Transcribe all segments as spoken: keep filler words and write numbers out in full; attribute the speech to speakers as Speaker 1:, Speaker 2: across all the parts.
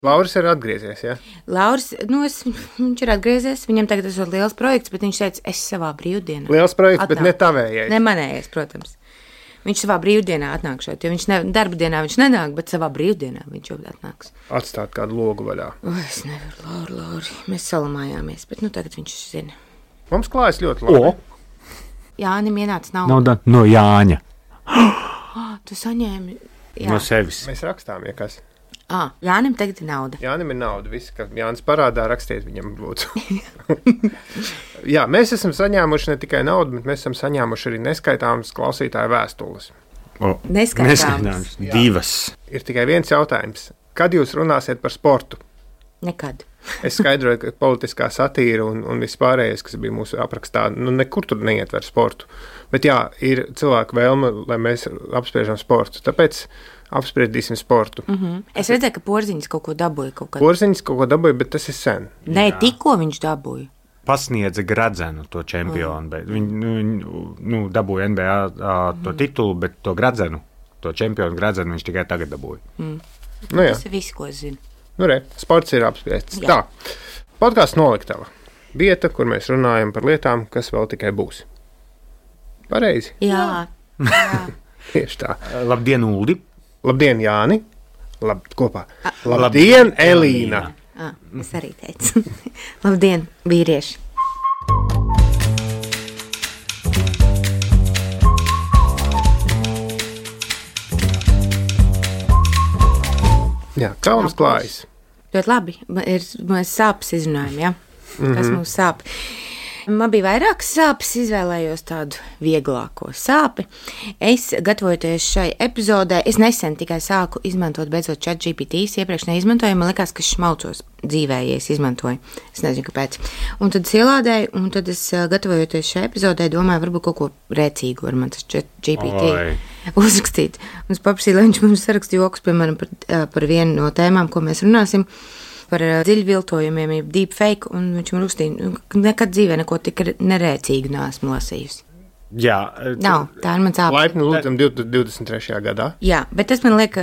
Speaker 1: Lauris ir atgriezies, ja?
Speaker 2: Lauris, nu, es, viņš ir atgriezies, viņam tagad ir liels projekts, bet viņš teica, es savā brīvdienā.
Speaker 1: Liels projekts,
Speaker 2: atnāk.
Speaker 1: Bet ne tavējais.
Speaker 2: Ne manējais, protams. Viņš savā brīvdienā atnākšot, jo viņš ne, darba dienā viņš nenāk, bet savā brīvdienā viņš jau atnāks.
Speaker 1: Atstāt kādu logu vaļā.
Speaker 2: O, es nevaru, Lauri, Lauri. Mēs salamājāmies, bet nu tagad viņš zina.
Speaker 1: Mums klājas ļoti labi.
Speaker 3: O!
Speaker 2: Jānim ienāca nauda.
Speaker 3: Nauda no Jāņa.
Speaker 2: Oh, tu saņēmi. Jā.
Speaker 3: No sevis.
Speaker 1: Mēs rakstām, ja kas.
Speaker 2: Ah, Jānim tagad ir nauda.
Speaker 1: Jānim ir nauda. Viss, ka Jānis parādā, rakstiet viņam, lūdzu. Jā, mēs esam saņēmuši ne tikai naudu, bet mēs esam saņēmuši arī neskaitāmas klausītāju vēstules.
Speaker 3: O,
Speaker 2: Neskaitāmas.
Speaker 3: Neskaitāmas. Divas.
Speaker 1: Ir tikai viens jautājums. Kad jūs runāsiet par sportu?
Speaker 2: Nekad.
Speaker 1: Es skaidroju, ka politiskā satīra un, un viss pārējais, kas bija mūsu aprakstā, nu nekur tur neietver sportu. Bet jā, ir cilvēku vēlme, lai mēs apspriežam sportu. Tāpēc apspriedīsim sportu.
Speaker 2: Mm-hmm. Es redzēju, ka Porziņš kaut ko dabūja. Kaut kad...
Speaker 1: Porziņš kaut ko dabūja, bet tas ir sen.
Speaker 2: Nē, tikko viņš dabūja.
Speaker 3: Pasniedza Gradzenu to čempionu. Mm. Viņi nu, nu, dabūja N B A mm. to titulu, bet to Gradzenu, to čempionu Gradzenu viņš tikai tagad dabūja.
Speaker 2: Mm.
Speaker 1: Nu, jā.
Speaker 2: Tas ir viss, ko es zinu.
Speaker 1: Nu, re, sports ir apspriests. Tā, podkāsts Noliktava. Vieta, kur mēs runājam par lietām, kas vēl tikai būs. Pareizi?
Speaker 2: Jā. Jā.
Speaker 1: Tieši tā.
Speaker 3: Labdien, Uldi!
Speaker 1: Labdien, Jāni! Lab, kopā.
Speaker 2: A,
Speaker 1: Labdien, Elīna!
Speaker 2: Ah, es arī teicu. Labdien, vīrieši!
Speaker 1: Jā, kā mums klājas?
Speaker 2: Ļoti labi. Ir, mēs sāpes izrunājam, ja? Mm-hmm. Kas mums sāp? Man bija vairākas sāpes, izvēlējos tādu vieglāko sāpi. Es, gatavojoties šai epizodē, es nesen tikai sāku izmantot beidzot ChatGPT, iepriekš neizmantoju, man likās, ka šmalcos dzīvē, ja es izmantoju. Es nezinu, kāpēc. Un tad es ielādēju, un tad es, gatavojoties šai epizodē, domāju, varbūt kaut ko rēcīgu ar man tas ChatGPT
Speaker 3: Oi.
Speaker 2: uzrakstīt. Un es paprasīju, lai viņš mums saraksta joks, piemēram, par, par vienu no tēmām, ko mēs runāsim. Par dziļviltojumiem, jeb deepfake, un viņš man rakstīja, ka nekad dzīvē neko tik nerēcīgu neesmu lasījusi.
Speaker 3: Jā.
Speaker 2: Nav, tā ir mans āpes.
Speaker 1: Laipni lūdzam divdesmit trešajā gadā.
Speaker 2: Jā, bet tas man liek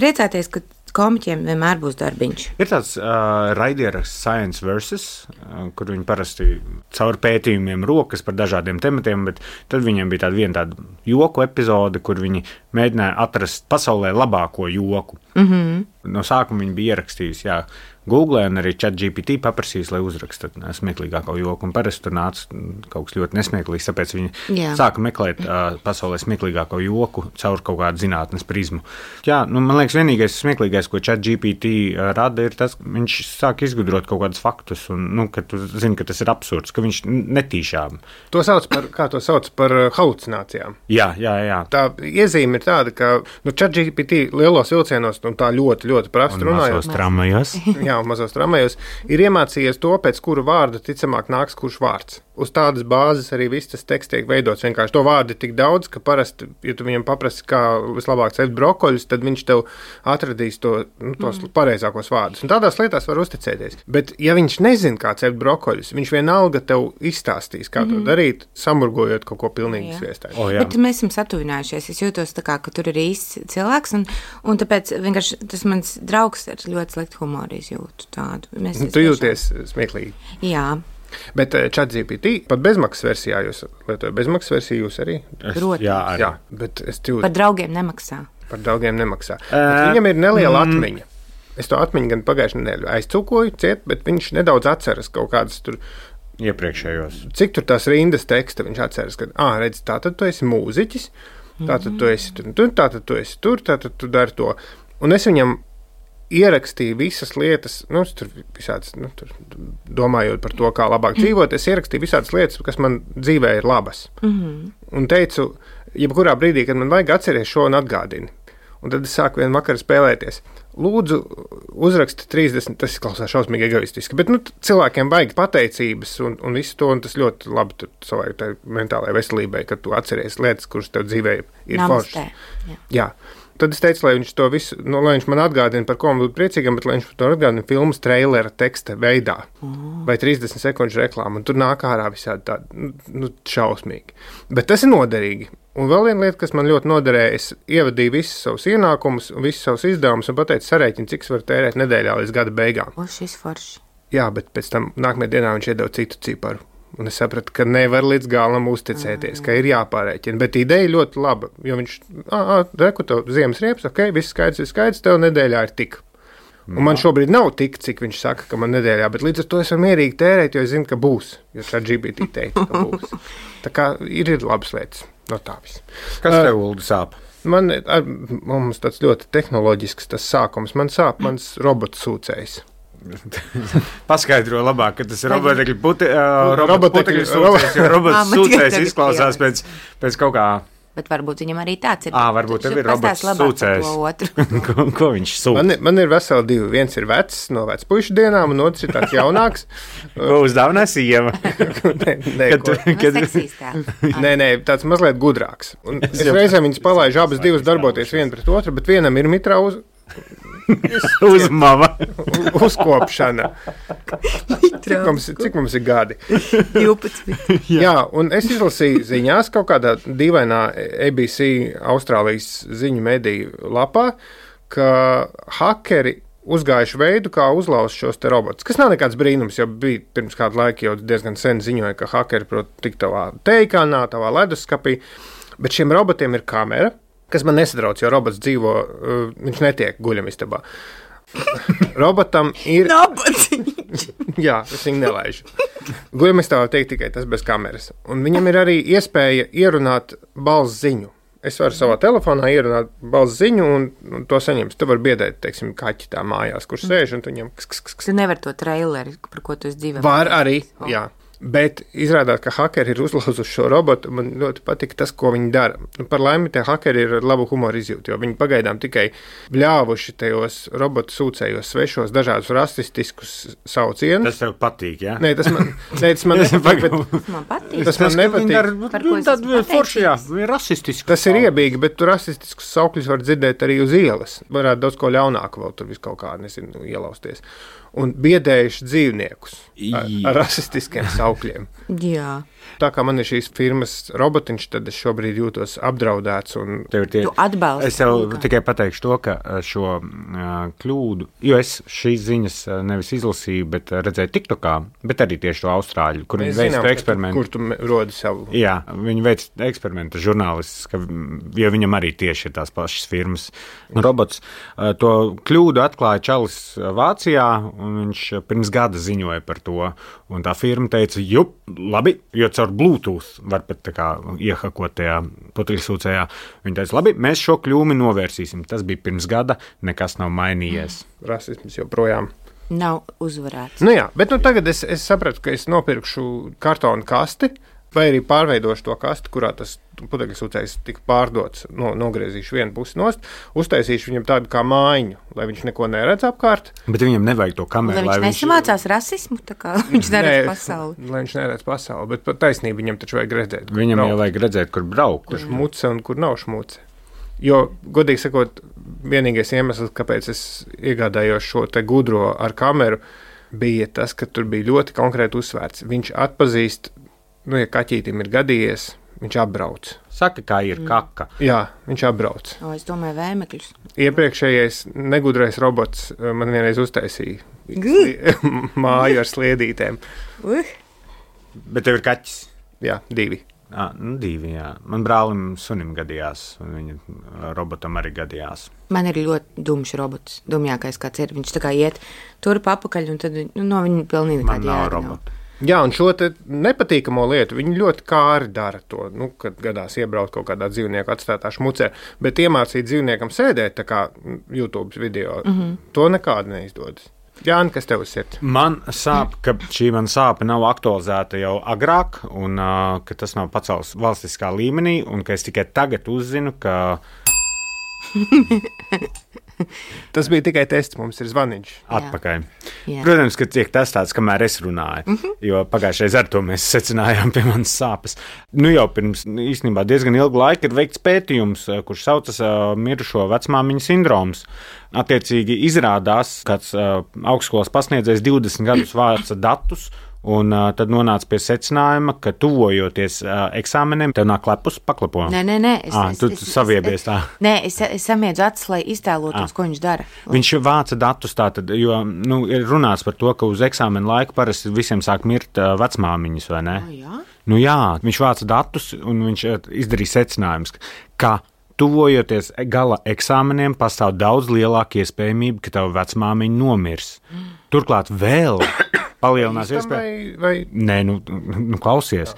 Speaker 2: priecāties, ka komiķiem vienmēr būs darbiņš.
Speaker 3: Ir tāds uh, raidieraksts Science versus, uh, kur viņi parasti caur pētījumiem rokas par dažādiem tematiem, bet tad viņiem bija tāda viena tāda joku epizode, kur viņi mēģināja atrast pasaulē labāko joku. Mm-hmm. No sākuma viņi bija ierakstījusi, jā, Google un arī ChatGPT paprasījis, lai uzraksta smieklīgāko joku, un parasti tur nāca kaut kas ļoti nesmieklīgs, tāpēc viņi jā. Sāka meklēt uh, pasaulē smieklīgāko joku caur kaut kādu zinātnes prizmu. Jā, nu, man liekas, vienīgais smieklīgais, ko ChatGPT uh, rada, ir tas, ka viņš sāk izgudrot kaut kādus faktus, un, nu, ka tu zini, ka tas ir absurds, ka viņš netīšām.
Speaker 1: To sauc par, kā to sauc par halucinācijām.
Speaker 3: Jā, jā, jā.
Speaker 1: Tā iezīme ir tāda, ka, nu, ChatGPT lielos vilcienos, un tā ļoti, ļoti prasti runājot.
Speaker 3: Mazos tramvajos.
Speaker 1: Jā, mazos tramvajos, ir iemācījies to, pēc kura vārda ticamāk nāks kurš vārds. Uz tādas bāzes arī viss tas teksts tiek veidots. Vienkārši to vārdu ir tik daudz, ka parasti, ja tu viņam paprasti, kā vislabāk cept brokoļus, tad viņš tev atradīs to, nu, tos mm. pareizākos vārdus. Un tādās lietās var uzticēties. Bet, ja viņš nezin, kā cept brokoļus, viņš vienalga tev izstāstīs, kā mm. to darīt, samurgojot kaut ko pilnīgi sviestāju.
Speaker 3: Oh,
Speaker 2: bet mēs esam satuvinājušies. Es jūtos tā kā, ka tur ir īsts cilvēks, un, un tāpēc vienkārši tas mans draugs ar ļoti sliktu humoru izjūtu tādu. Mēs
Speaker 1: nu, tu jūties smieklīgi.
Speaker 2: Jā.
Speaker 1: Bet ChatGPT pat bezmaksas versijā jūs lietojat. Bezmaksas versiju jūs arī?
Speaker 3: Es, jā, arī.
Speaker 1: Jā, bet es jūtu.
Speaker 2: Par draugiem nemaksā.
Speaker 1: Par draugiem nemaksā. Uh, viņam ir neliela mm. atmiņa. Es to atmiņu gan pagājušajā nedēļā aizcūkoju ciet, bet viņš nedaudz atceras kaut kādas tur
Speaker 3: iepriekšējos.
Speaker 1: Cik tur tās rindas teksta viņš atceras, ka, ā, redz, tātad tu esi mūziķis, tātad tu esi tur, tātad tu esi tur, tātad tu dari to. Un es viņam ierakstīju visas lietas, nu, tur visādas, nu, tur domājot par to, kā labāk dzīvot, es ierakstīju visādas lietas, kas man dzīvē ir labas. Mm-hmm. Un teicu, jebkurā brīdī, kad man vajag atceries šo un atgādini. Un tad es sāku vienu vakaru spēlēties. Lūdzu, uzraksti trīsdesmit, tas klausās šausmīgi egoistiski, bet, nu, cilvēkiem vajag pateicības un, un visu to, un tas ļoti labi savai mentālajai veselībai, kad tu atceries lietas, kuras tev dzīvē ir foršas. Jā. Jā. Tad es teicu, lai viņš to visu, nu, lai viņš man atgādina, par ko man būtu priecīgam, bet lai viņš to atgādina filmas trailera teksta veidā. Oh. Vai trīsdesmit sekundžu reklāmu, un tur nāk ārā visādi tādi, nu, šausmīgi. Bet tas ir noderīgi. Un vēl viena lieta, kas man ļoti noderēja, es ievadīju visus savus ienākumus un visus savus izdevumus un pateicu sarēķinu, cik es varu tērēt nedēļā līdz gada beigām.
Speaker 2: O, šis forši.
Speaker 1: Jā, bet pēc tam nākamajā dienā viņš iedeva citu ciparu. Un es sapratu, ka nevar līdz galam uzticēties, ka ir jāpārēķina. Bet ideja ļoti laba, jo viņš, ā, reku tev ziemas riepas, ok, viss skaidrs, viss skaidrs, tev nedēļā ir tik. Un man šobrīd nav tik, cik viņš saka, ka man nedēļā, bet līdz ar to es varu mierīgi tērēt, jo es zinu, ka būs, jo šā G B T teica, ka būs. Tā kā ir, ir labas lietas no tā viss.
Speaker 3: Kas tev, Uldi, sāp?
Speaker 1: Man, ar, mums tāds ļoti tehnoloģisks tas sākums, man sāp mans robots sūcējs.
Speaker 3: Paskaidro labāk, ka tas ir robotekļu puti, uh, robotekļu sūcējs, jo robots
Speaker 2: Ā, man
Speaker 3: sūcējs
Speaker 2: tagad
Speaker 3: izklausās pēc, pēc kaut kā.
Speaker 2: Bet varbūt viņam arī tāds ir.
Speaker 3: Ā, varbūt tev ir robots sūcējs. ko, ko viņš sūta?
Speaker 1: Man, man ir veseli divi. Viens ir vecs no vecpuišu dienām, un otrs ir tāds jaunāks.
Speaker 3: Ko uzdāvinā sieva?
Speaker 1: nē, nē,
Speaker 3: Kad tu-
Speaker 1: ko-
Speaker 3: kad-
Speaker 1: nē, nē, tāds mazliet gudrāks. Un es reizēm viņas palaižu abas divas darboties viena pret otru, bet vienam ir mitrā uz,
Speaker 3: Uz mama.
Speaker 1: uzkopšana. Cik mums, cik mums ir gadi?
Speaker 2: divpadsmit.
Speaker 1: Jā, un es izlasīju ziņās kaut kādā dīvainā A B C Austrālijas ziņu mediju lapā, ka hakeri uzgājuši veidu, kā uzlauzt šos te robotus. Kas nav nekāds brīnums, jo bija pirms kādu laiku jau diezgan sen ziņoja, ka hakeri prot tik tavā teikānā, tavā leduskapī, bet šiem robotiem ir kamera, kas man nesadrauc, jo robots dzīvo, uh, viņš netiek guļamistabā. Robotam ir...
Speaker 2: Nabadzīgs.
Speaker 1: Jā, es viņu nelaižu. Guļamistabā tiek tikai tas bez kameras. Un viņam ir arī iespēja ierunāt balss ziņu. Es varu savā telefonā ierunāt balss ziņu un, un to saņemt. Tu vari biedēt, teiksim, kaķi tā mājās, kurš sēž un tu viņam... Ks, ks, ks.
Speaker 2: Tu nevar to traileri, par ko tu esi dzīvē.
Speaker 1: Var arī, jā. Bet izrādās, ka hakeri ir uzlauzuši šo robotu. Man ļoti patīk tas, ko viņi dara. Nu, par laimi, tie hakeri ir ar labu humoru izjūtu, jo viņi pagaidām tikai bļāvuši tajos robotu sūcējos svešos dažādus rasistiskus saucienus.
Speaker 3: Tas tev patīk, jā?
Speaker 1: Nē, tas man, nē, tas man nepatīk. Bet,
Speaker 2: Man patīk.
Speaker 1: tas man nepatīk.
Speaker 2: Par ko es
Speaker 3: Tad
Speaker 2: esmu
Speaker 3: forši, jā, ir rasistiski.
Speaker 1: Tas ir iebīgi, bet tu rasistiskus saukļus var dzirdēt arī uz ielas. Varētu daudz ko ļaunāku vēl tur vis kaut kā, nezinu, ielausties. Un biedējuši dzīvniekus ar, ar rasistiskiem saukļiem.
Speaker 2: Jā.
Speaker 1: Tā kā man ir šīs firmas robotiņš, tad es šobrīd jūtos apdraudēts. Un...
Speaker 3: Tev ir tie...
Speaker 2: Tu atbalsti
Speaker 3: Es tev
Speaker 2: kaut kā.
Speaker 3: tikai pateikšu to, ka šo uh, kļūdu, jo es šīs ziņas uh, nevis izlasīju, bet uh, redzēju TikTokā, bet arī tieši to Austrāļu, kur viņi veic to eksperimentu.
Speaker 1: Kur tu me- rodi savu.
Speaker 3: Jā, viņi veic eksperimentu žurnālists, ka, jo viņam arī tieši ir tās pašas firmas. Robots uh, to kļūdu atklāja Čalis uh, Vācijā, un viņš uh, pirms gada ziņoja par to. Un tā firma teica, jup, labi, jo caur Bluetooth var pat tā kā iehakot tajā putekļsūcējā. Viņi teica, labi, mēs šo kļūmi novērsīsim. Tas bija pirms gada, nekas nav mainījies.
Speaker 1: Rasisms joprojām.
Speaker 2: Nav uzvarēts.
Speaker 1: Nu jā, bet nu tagad es, es sapratu, ka es nopirkšu kartonu kasti, vai arī pārveidošu to kasti, kurā tas putekļsūcējs tika pārdots, no, nogriezīšu vienu pusi nost, uztaisīšu viņam tādu kā mājiņu, lai viņš neko neredz apkārt.
Speaker 3: Bet viņam nevajag to kameru,
Speaker 2: Lai viņš nesamācās rasismu, tā kā viņš neredz pasauli.
Speaker 1: Lai viņš neredz pasauli, bet pat taisnība viņam taču vajag redzēt. kur
Speaker 3: Viņam
Speaker 1: braukt,
Speaker 3: jau vajag redzēt, kur braukt.
Speaker 1: kur šmuce un kur nav šmuce. Jo, godīgi sakot, vienīgais iemesls, kāpēc es iegādājos šo te gudro ar kameru, bija tas, ka tur bija ļoti konkrēti uzsvērts. Viņš atpazīst, nu, ja kaķītim ir gadījies, viņš apbrauc.
Speaker 3: Saka, kā ir kaka.
Speaker 1: Jā, viņš apbrauc.
Speaker 2: O, es domāju, vēmekļus.
Speaker 1: Iepriekšējais negudrais robots uh, man vienreiz uztaisīja
Speaker 2: Gu!
Speaker 1: māju ar sliedītēm.
Speaker 2: Uh,
Speaker 3: Bet tev ir kaķis.
Speaker 1: Jā, divi.
Speaker 3: À, nu, divi, jā. Man brālim sunim gadījās, un viņa robotam arī gadījās.
Speaker 2: man ir ļoti dumšs robots. Dumjākais kāds ir. Viņš tā kā iet turp apakaļ, un tad nu, no viņa pilnīgi
Speaker 3: Man
Speaker 2: nekāda
Speaker 3: nav
Speaker 2: jēga nav.
Speaker 3: robota.
Speaker 1: Jā, un šo te nepatīkamo lietu viņi ļoti kāri dara to, nu, kad gadās iebraukt kaut kādā dzīvnieku atstātā šmucē, bet iemācīt dzīvniekam sēdēt, tā kā YouTube video, mm -hmm. to nekādi neizdodas. Jāni, kas tev ir?
Speaker 3: Man sāp, ka šī man sāpe nav aktualizēta jau agrāk, un uh, ka tas nav pacelts valstiskā līmenī, un ka es tikai tagad uzzinu, ka
Speaker 1: Tas bija tikai tests, mums ir zvaniņš.
Speaker 3: atpakaļ.
Speaker 2: Jā.
Speaker 3: Protams, ka tiek testēts, kamēr es runāju, mm -hmm. jo pagājušajā reizē ar to mēs secinājām pie manas sāpes. Nu jau pirms īstenībā diezgan ilgu laiku ir veikts pētījums, kurš saucas uh, mirušo vecmāmiņu sindroms. Attiecīgi izrādās, kāds uh, augstskolas pasniedzējs divdesmit gadus vāca datus, un uh, tad nonāca pie secinājuma, ka tuvojoties uh, eksāmeniem, tev nāk klepus paklapo.
Speaker 2: Nē, nē, nē. Es,
Speaker 3: ah,
Speaker 2: es,
Speaker 3: tu
Speaker 2: es,
Speaker 3: saviebies tā.
Speaker 2: Nē, es, es samiedzu acis, lai iztēlotos, ah. ko viņš dara.
Speaker 3: Viņš vāca datus tātad, jo nu, ir runāts par to, ka uz eksāmenu laiku parasti visiem sāk mirt uh, vecmāmiņas, vai ne?
Speaker 2: Oh, jā?
Speaker 3: Nu jā, viņš vāca datus un viņš izdarīja secinājumus, ka tuvojoties gala eksāmeniem pastāv daudz lielāka iespējamība, ka tava vecmāmiņa nomirs. Mm. Turklāt vēl palielinās iespēja.
Speaker 1: Vai...
Speaker 3: Nē, nu, nu klausies.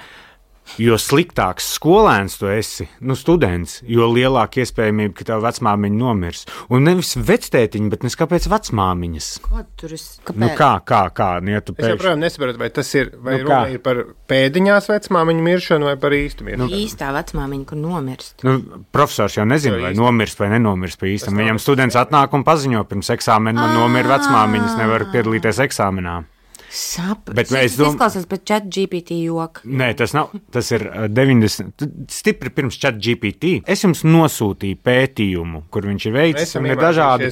Speaker 3: Jo sliktāks skolēns tu esi, nu students, jo lielāka iespējamība, ka tev vecmāmiņa nomirs. Un nevis vectētiņa, bet nes kāpēc vecmāmiņas?
Speaker 2: Kā tur es? Kāpēc?
Speaker 3: Nu kā, kā, kā? Nu, ja tu
Speaker 1: es joprojām nesaprotu, vai tas ir, vai
Speaker 3: nu,
Speaker 1: runa ir par pēdiņās vecmāmiņu miršanu vai par īstu miršanu.
Speaker 2: Nu, īstā vecmāmiņa, kur nomirst.
Speaker 3: Nu, profesors jau nezina, vai nomirst vai nenomirst pa īstam. Viņam students atnāk un paziņo pirms eksāmena, man nomira vecmāmiņas, nevar piedalīties eksāmenā.
Speaker 2: Sap,
Speaker 3: bet
Speaker 2: es dom... izklausās pēc chat G P T joka.
Speaker 3: Nē, tas nav, tas ir deviņdesmit, stipri pirms chat G P T. Es jums nosūtīju pētījumu, kur viņš ir veicis, un ir dažādi...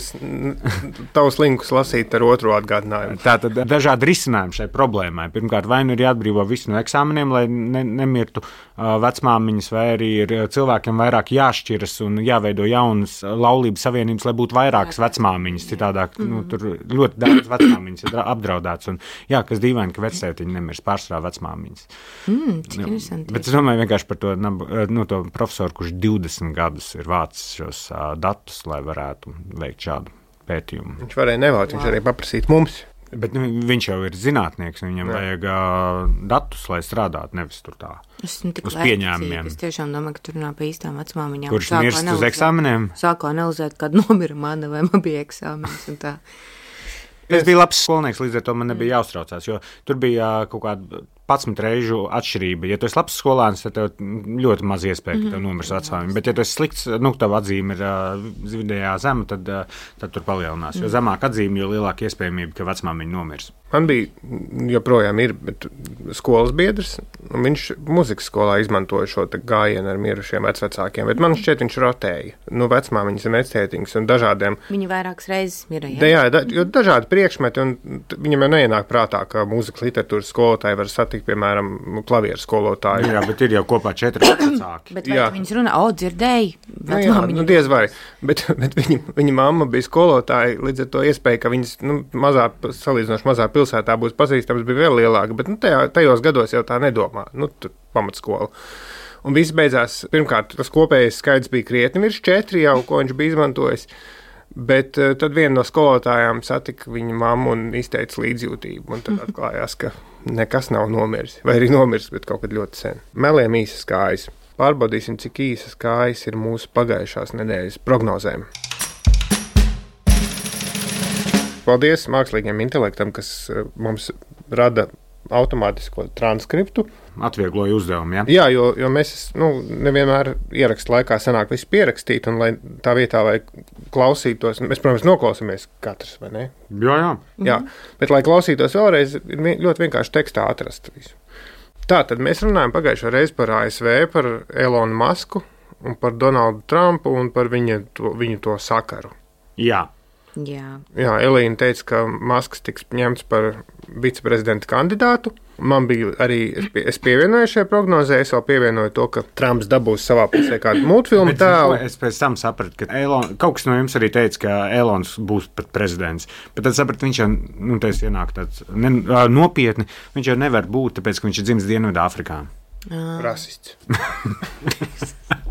Speaker 1: Tavus linkus lasīt ar otro atgādinājumu.
Speaker 3: Tātad dažādi risinājumi šai problēmai. Pirmkārt, vai nu ir jāatbrīvo visi no eksāmeniem, lai ne, nemirtu uh, vecmāmiņas, vai arī ir cilvēkiem vairāk jāšķiras un jāveido jaunas laulības savienības, lai būtu vairākas vecmāmiņas. Citādāk, mm. nu, tur ļoti daudz vecmāmiņas ir apdraudēts. Un, jā, kas dīvaini, ka vectētiņi nemirst pārsvarā vecmāmiņas.
Speaker 2: Mm, cik interesanti.
Speaker 3: Bet es domāju vienkārši par to, nu, to profesoru, kurš divdesmit gadus ir vācis šos uh, datus, lai varētu veikt šādu pētījumu.
Speaker 1: Viņš varēja nevākt, wow. Viņš arī paprasīt mums.
Speaker 3: Bet nu, viņš jau ir zinātnieks, viņam jā. Vajag uh, datus, lai strādātu, nevis tur tā
Speaker 2: uz
Speaker 3: pieņēmumiem.
Speaker 2: Es tiešām domāju, ka tur runā par īstām vecmāmiņām.
Speaker 3: Kurš mirst uz eksāmeniem?
Speaker 2: Sāku analizēt, kad nomira mana vai man bija eksāmenis un tā.
Speaker 3: Es biju labs skolnieks, līdz ar to man nebija jāuztraucās, jo tur bija kaut kāda padsmit reižu atšķirība. Ja tu esi labs skolēns, tad tev ļoti maz iespēja, ka tev nomirs vecmāmiņa. Bet, ja tu esi slikts, nu, tava atzīme ir uh, vidējā zema, tad, uh, tad tur palielinās. Jo zemāk atzīme, jo lielāka iespējamība, ka vecmāmiņa nomirs.
Speaker 1: Man bija, joprojām ir, bet skolas biedrs, un viņš muzikas skolā izmantoja šo gājienu ar mirušiem vecvecākiem, bet man šķiet, viņš rotēja. Nu, vecmāmiņas un vectētiņas un dažādiem.
Speaker 2: Viņi vairākas reizes mira,
Speaker 1: jā? Jā, da, jo dažādi priekšmeti, un viņam jau neienāk prātā, ka mūzikas literatūras skolotāji var satikt, piemēram, klavieru skolotāju.
Speaker 3: Jā, bet ir jau kopā četri vecāki.
Speaker 2: Bet vai viņas runā, o, dzirdēji?
Speaker 1: Nu, jā, nu, diez vai, bet, bet viņa, viņa mamma bija skolotāja, līdz ar to iespēja, ka viņas, nu, mazā, salīdzinoši mazā pilsētā būs pazīstams, bija vēl lielāka, bet nu, tajā, tajos gados jau tā nedomā, nu, pamatskola. Un viss beidzās, pirmkārt, tas kopējais skaidrs bija krietni virs četri jau, ko viņš bija izmantojis, bet uh, tad viena no skolotājām satika viņa mammu un izteica līdzjūtību, un tad atklājās, ka nekas nav nomiris, vai arī nomiris, bet kaut kad ļoti sen. Meliem īsas kājas. Pārbaudīsim, cik īsas kājas ir mūsu pagājušās nedēļas prognozēm. Paldies mākslīgiem intelektam, kas mums rada automātisko transkriptu.
Speaker 3: Atviegloja uzdevumu, jā?
Speaker 1: Jā, jo, jo mēs nu, nevienmēr ierakstu laikā sanāk visu pierakstīt, un lai tā vietā, lai klausītos, mēs, protams, noklausāmies katrs, vai ne?
Speaker 3: Jā, jā.
Speaker 1: Jā, bet lai klausītos vēlreiz, ir ļoti vienkārši tekstā atrast visu. Tā tad mēs runājam pagājušo reizi par A S V, par Elonu Masku un par Donaldu Trumpu un par viņa to, viņu to sakaru.
Speaker 3: Jā.
Speaker 2: Jā.
Speaker 1: Jā, Elīna teica, ka Masks tiks ņemts par viceprezidenta kandidātu. Man bija arī, es, pie, es pievienoju šajā prognozē, es vēl pievienoju to, ka Trumps dabūs savā pusē kādu multfilmu tēlu.
Speaker 3: Es pēc tam sapratu, ka Elon, kaut kas no jums arī teica, ka Elons būs pat prezidents. Bet tad sapratu, viņš jau, nu, teic, ienāk tāds ne, nopietni, viņš jau nevar būt, tāpēc, ka viņš ir dzimis Dienvidāfrikā.
Speaker 1: Rasists.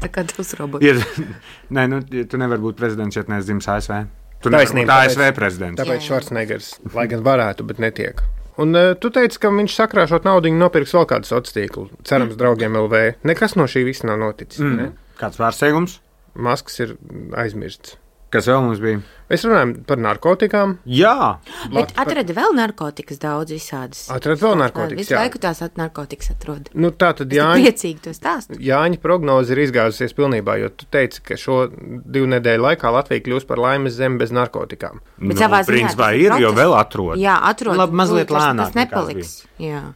Speaker 2: Tā kā tas robots.
Speaker 3: Ir, nē, nu, tu nevar būt prezidents, ja tu neesi dzimis A S V. Tu
Speaker 1: nevari būt
Speaker 3: A S V prezidents.
Speaker 1: Tāpēc Švarcnegers, lai gan varētu, bet netiek. Un uh, tu teici, ka viņš sakrāšot naudiņu nopirks vēl kādu sociālo tīklu. Cerams, draugiem L V. Nekas no šī visa nav noticis.
Speaker 3: Mm.
Speaker 1: Ne?
Speaker 3: Kāds pārsteigums?
Speaker 1: Masks ir aizmirsts.
Speaker 3: Kas vēl mums bija?
Speaker 1: Mēs runājam par narkotikām.
Speaker 3: Jā.
Speaker 2: Bet atrada vēl narkotikas daudz visādas.
Speaker 1: Atrada vēl narkotikas,
Speaker 2: visu
Speaker 1: jā.
Speaker 2: Visu laiku tās at narkotikas atrod.
Speaker 1: Nu, tā tad
Speaker 2: es
Speaker 1: Jāņa...
Speaker 2: priecīgi to stāstu.
Speaker 1: Jāņa prognoze ir izgāzusies pilnībā, jo tu teici, ka šo divu nedēļu laikā Latvija kļūs par laimes zemi bez narkotikām.
Speaker 2: Bet
Speaker 3: nu,
Speaker 2: savā ziņā
Speaker 3: principā ir,
Speaker 2: process.
Speaker 3: Jo vēl atrod.
Speaker 2: Jā, atrod.
Speaker 3: Labi, mazliet
Speaker 2: tas,
Speaker 3: lēnāk
Speaker 2: tas nepaliks. Jā.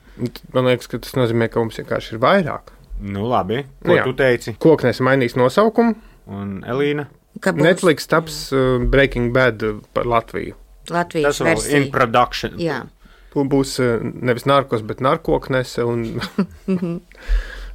Speaker 1: Man liekas, ka tas nozīmē, ka mums vienkārši ir vairāk.
Speaker 3: Nu, labi. Ko
Speaker 1: nu,
Speaker 3: tu teici?
Speaker 1: Koknes mainīs nosaukumu.
Speaker 3: Un Elīna?
Speaker 1: Netflix taps uh, Breaking Bad par Latviju.
Speaker 2: Latvijas
Speaker 3: tas vēl
Speaker 2: versija.
Speaker 3: in production.
Speaker 2: Jā.
Speaker 1: būs nevis narkos, bet narkoknese. Un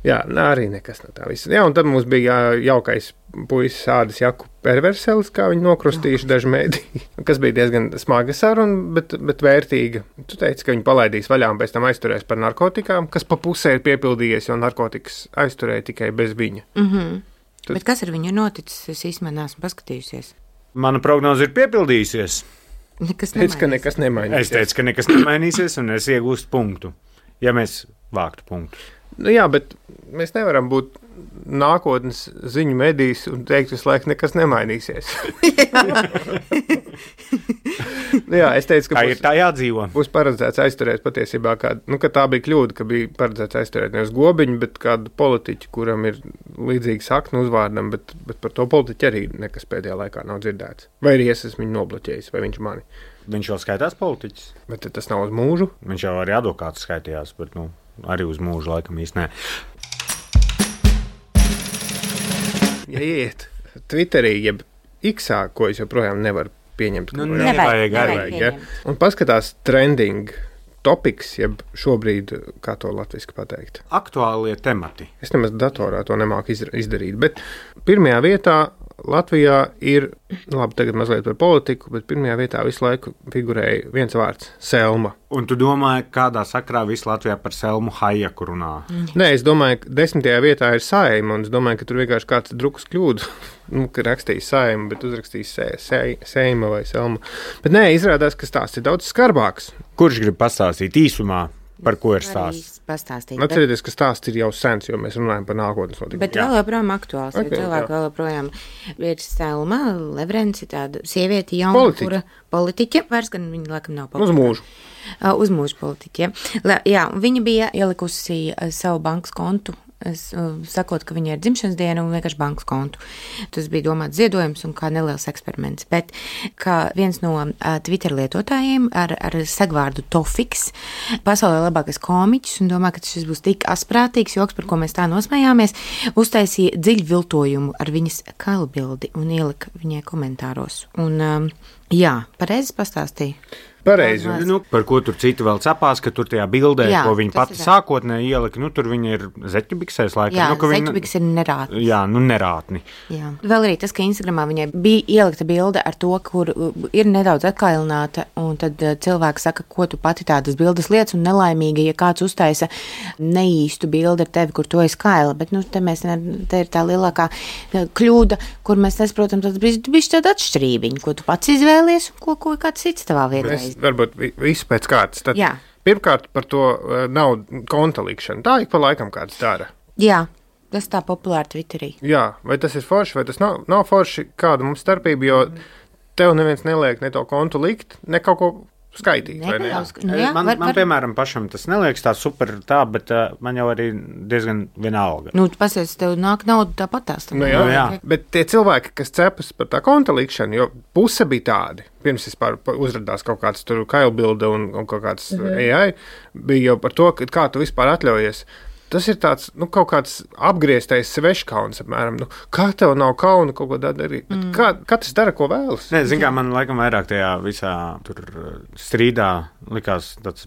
Speaker 1: jā, arī nekas no tā visa. Jā, un tad mums bija jaukais puisis Ādis Jaku perverselis, kā viņi nokrustījuši daži mēdī, kas bija diezgan smaga saruna, bet, bet vērtīga. Tu teici, ka viņi palaidīs vaļā un pēc tam aizturēs par narkotikām, kas pa pusē ir piepildījies, jo narkotikas aizturēja tikai bez viņa.
Speaker 2: Mm-hmm. Tad... Bet kas ar viņu noticis? Es īstenībā neesmu paskatījusies.
Speaker 3: Mana prognoze ir piepildījusies.
Speaker 2: Nekas
Speaker 1: teicu, ka nekas nemainīsies.
Speaker 3: Es teicu, ka nekas nemainīsies, un es iegūstu punktu, ja mēs vāktu punktu.
Speaker 1: Nu jā, bet mēs nevaram būt nākotnes ziņu medijs un teikt visu laiku, nekas nemainīsies. Nu jā, es teicu, ka
Speaker 3: tā
Speaker 1: būs,
Speaker 3: ir tā jādzīvo.
Speaker 1: Būs paredzēts aizturēt patiesībā kādu, nu, ka tā bija kļūda, ka bija paredzēts aizturēt nevis Gobiņu, bet kādu politiķu, kuram ir līdzīgi saknu uzvārdam, bet, bet par to politiķu arī nekas pēdējā laikā nav dzirdēts. Vai arī es esmu viņu nobloķējis, vai viņš mani.
Speaker 3: Viņš jau skaitās politiķis.
Speaker 1: Bet tas nav uz mūžu.
Speaker 3: Viņš jau arī advokāts skaitījās, bet, nu, arī uz mūžu laikam īsti nē.
Speaker 1: Ja iet Twitterī, jeb X-ā, ko es joprojām nevaru pieņemt.
Speaker 3: Nu, nevajag arī.
Speaker 1: Ja? Un paskatās trending topics, jeb šobrīd, kā to latviski pateikt.
Speaker 3: Aktuālie temati.
Speaker 1: Es nemaz datorā to nemāku izdarīt, bet pirmajā vietā Latvijā ir, labi, tagad mazliet par politiku, bet pirmajā vietā visu laiku figurēja viens vārds – Selma.
Speaker 3: Un tu domāji, kādā sakrā visu Latvijā par Selmu Hajaku runā?
Speaker 1: Mm. Nē, es domāju, ka desmitajā vietā ir Saeima, un es domāju, ka tur vienkārši kāds drukas kļūdu, nu, ka rakstīs Saeima, bet uzrakstīs se, se, Seima vai Selma. Bet nē, izrādās, ka stāsts ir daudz skarbāks.
Speaker 3: Kurš grib pastāstīt īsumā? Par ko ir stāsts?
Speaker 1: Atcerieties, ka stāsts ir jau sens, jo mēs runājam par nākotnes notikumiem.
Speaker 2: Bet vēl joprojām aktuāls, okay, jo cilvēki vēl joprojām ir Selma Levrence, tāda sieviete jauna, Politiķi. Kura politiķe, vairs gan viņa laikam nav politiķe.
Speaker 1: Uz mūžu.
Speaker 2: Uh, uz mūžu politiķe. La, jā, viņa bija ielikusi uh, savu bankas kontu. Es, uh, sakot, ka viņai ir dzimšanas diena un vienkārši bankas kontu. Tas bija domāts ziedojums un kā neliels eksperiments. Bet kā viens no uh, Twitter lietotājiem ar, ar segvārdu Tofiks, pasaulē labākais komiķis, un domā, ka šis būs tik asprātīgs joks, par ko mēs tā nosmējāmies, uztaisīja dziļu viltojumu ar viņas kailbildi un ielika viņai komentāros. Un, um, jā, pareizi pastāstīja.
Speaker 1: Pareizi.
Speaker 3: Nu, par ko tur citi vēl cepās, ka tur tajā bildē, jā, ko viņa pati sākotnēji ielika, nu tur viņa ir zeķubiksēs laikam.
Speaker 2: Jā,
Speaker 3: nu,
Speaker 2: zeķubiks ir nerātni.
Speaker 3: Jā, nu nerātni.
Speaker 2: Jā. Vēl arī tas, ka Instagramā viņai bija ielikta bilde ar to, kur ir nedaudz atkailināta, un tad cilvēki saka, ko tu pati tādas bildes lietas, un nelaimīgi, ja kāds uztaisa neīstu bildi ar tevi, kur tu esi kaila, bet, nu, te mēs, te ir tā lielākā kļūda, kur mēs nesaprotam, tad bišķi tāda atšķirībiņa, ko tu pats izvēlies, un ko, ko kāds cits tavā vietā.
Speaker 1: Varbūt visu pēc kārtas. Tad pirmkārt par to nav konta likšana. Tā ik pa laikam kāds dara.
Speaker 2: Jā, tas tā populāri Twitterī.
Speaker 1: Jā, vai tas ir forši, vai tas nav, nav forši, kāda mums starpība, jo tev neviens neliek ne to kontu likt, ne kaut ko skaitīt, vai ne?
Speaker 2: Nu, jā,
Speaker 3: man,
Speaker 2: var,
Speaker 3: man,
Speaker 2: var...
Speaker 3: piemēram, pašam tas neliekas tā super tā, bet uh, man jau arī diezgan vienalga.
Speaker 2: Nu, tu pasies, tev nāk nauda tāpat tās.
Speaker 1: Nu, jā, jā. Bet tie cilvēki, kas cepas par tā konta likšanu, jo puse bija tādi, pirms vispār uzradās kaut kāds tur kailbilde un, un kaut kāds mm-hmm. A I, bija jau par to, ka kā tu vispār atļaujies. Tas ir tāds, nu, kaut kāds apgrieztais sveškauns, apmēram, nu, kā tev nav kauna kaut ko darīt, bet mm. kā, katrs dara, ko vēlas.
Speaker 3: Nē, zin kā, man laikam vairāk tajā visā tur strīdā likās tāds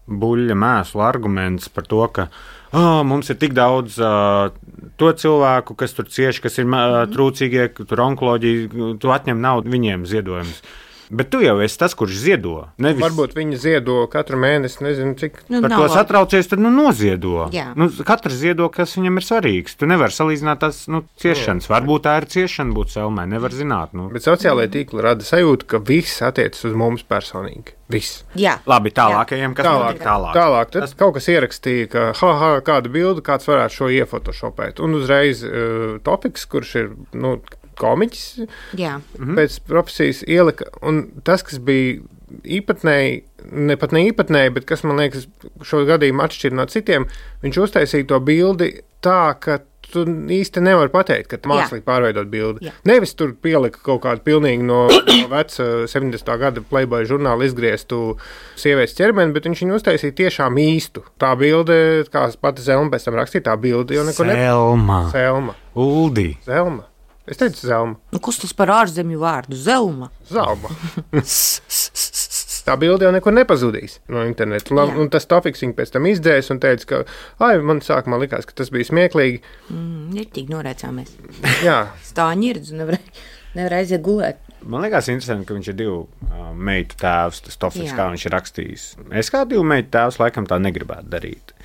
Speaker 3: buļļa mēslu arguments par to, ka oh, mums ir tik daudz uh, to cilvēku, kas tur cieši, kas ir uh, trūcīgie, tur onkoloģija, tu atņem naudu viņiem ziedojumus. Bet tu jau esi tas, kurš ziedo. Nevis...
Speaker 1: Varbūt viņi ziedo katru mēnesi, nezinu, cik.
Speaker 2: Nu,
Speaker 3: par to satraucies, tad nu noziedo.
Speaker 2: Jā.
Speaker 3: Nu, katrs ziedo, kas viņam ir svarīgs. Tu nevari salīdzināt tās nu, ciešanas. Jā. Varbūt tā ir ciešana būt Selmai, nevar zināt. Nu.
Speaker 1: Bet sociālajā tīkli rada sajūtu, ka viss attiecas uz mums personīgi. Viss.
Speaker 2: Jā.
Speaker 3: Labi, tālākajiem, kas
Speaker 1: tālāk,
Speaker 3: notiek tālāk.
Speaker 1: Tālāk, tad tas... kaut kas ierakstīja, ka ha, ha, kādu bildu kāds varētu šo iefotošopēt. Un uzreiz uh, topiks, kurš ir, nu, komiķis,
Speaker 2: jā.
Speaker 1: Pēc profesijas ielika, un tas, kas bija īpatnēji, ne pat ne īpatnēji, bet kas, man liekas, šo gadījumu atšķir no citiem, viņš uztaisīja to bildi tā, ka tu īsti nevari pateikt, ka mākslīgi pārveidot bildi. Jā. Nevis tur pielika kaut kādu pilnīgi no, no veca septiņdesmitā gada Playboy žurnāla izgrieztu sievietes ķermeni, bet viņš viņu uztaisīja tiešām īstu. Tā bilde, kā pati Zelma pēc tam rakstīja, tā bilde jau neko ne...
Speaker 3: Selma.
Speaker 1: Selma.
Speaker 3: Uldi.
Speaker 1: Zelma. Es teicu Zelma.
Speaker 2: Nu, kas tas par ārzemju vārdu? Zelma.
Speaker 1: Zelma. tā bilde jau nekur nepazudīs no interneta. Un, un tas topiks viņa pēc tam izdzēs un teica, ka, ai, man sākumā likās, ka tas bija smieklīgi.
Speaker 2: Mm, ir tik norecāmies.
Speaker 1: Jā.
Speaker 2: Stāņirdz un nevar, nevar aiziet gulēt.
Speaker 3: Man liekas interesanti, ka viņš ir divu uh, meitu tēvs, tas topiks, kā viņš ir rakstījis. Es kā divu meitu tēvs laikam tā negribētu darīt.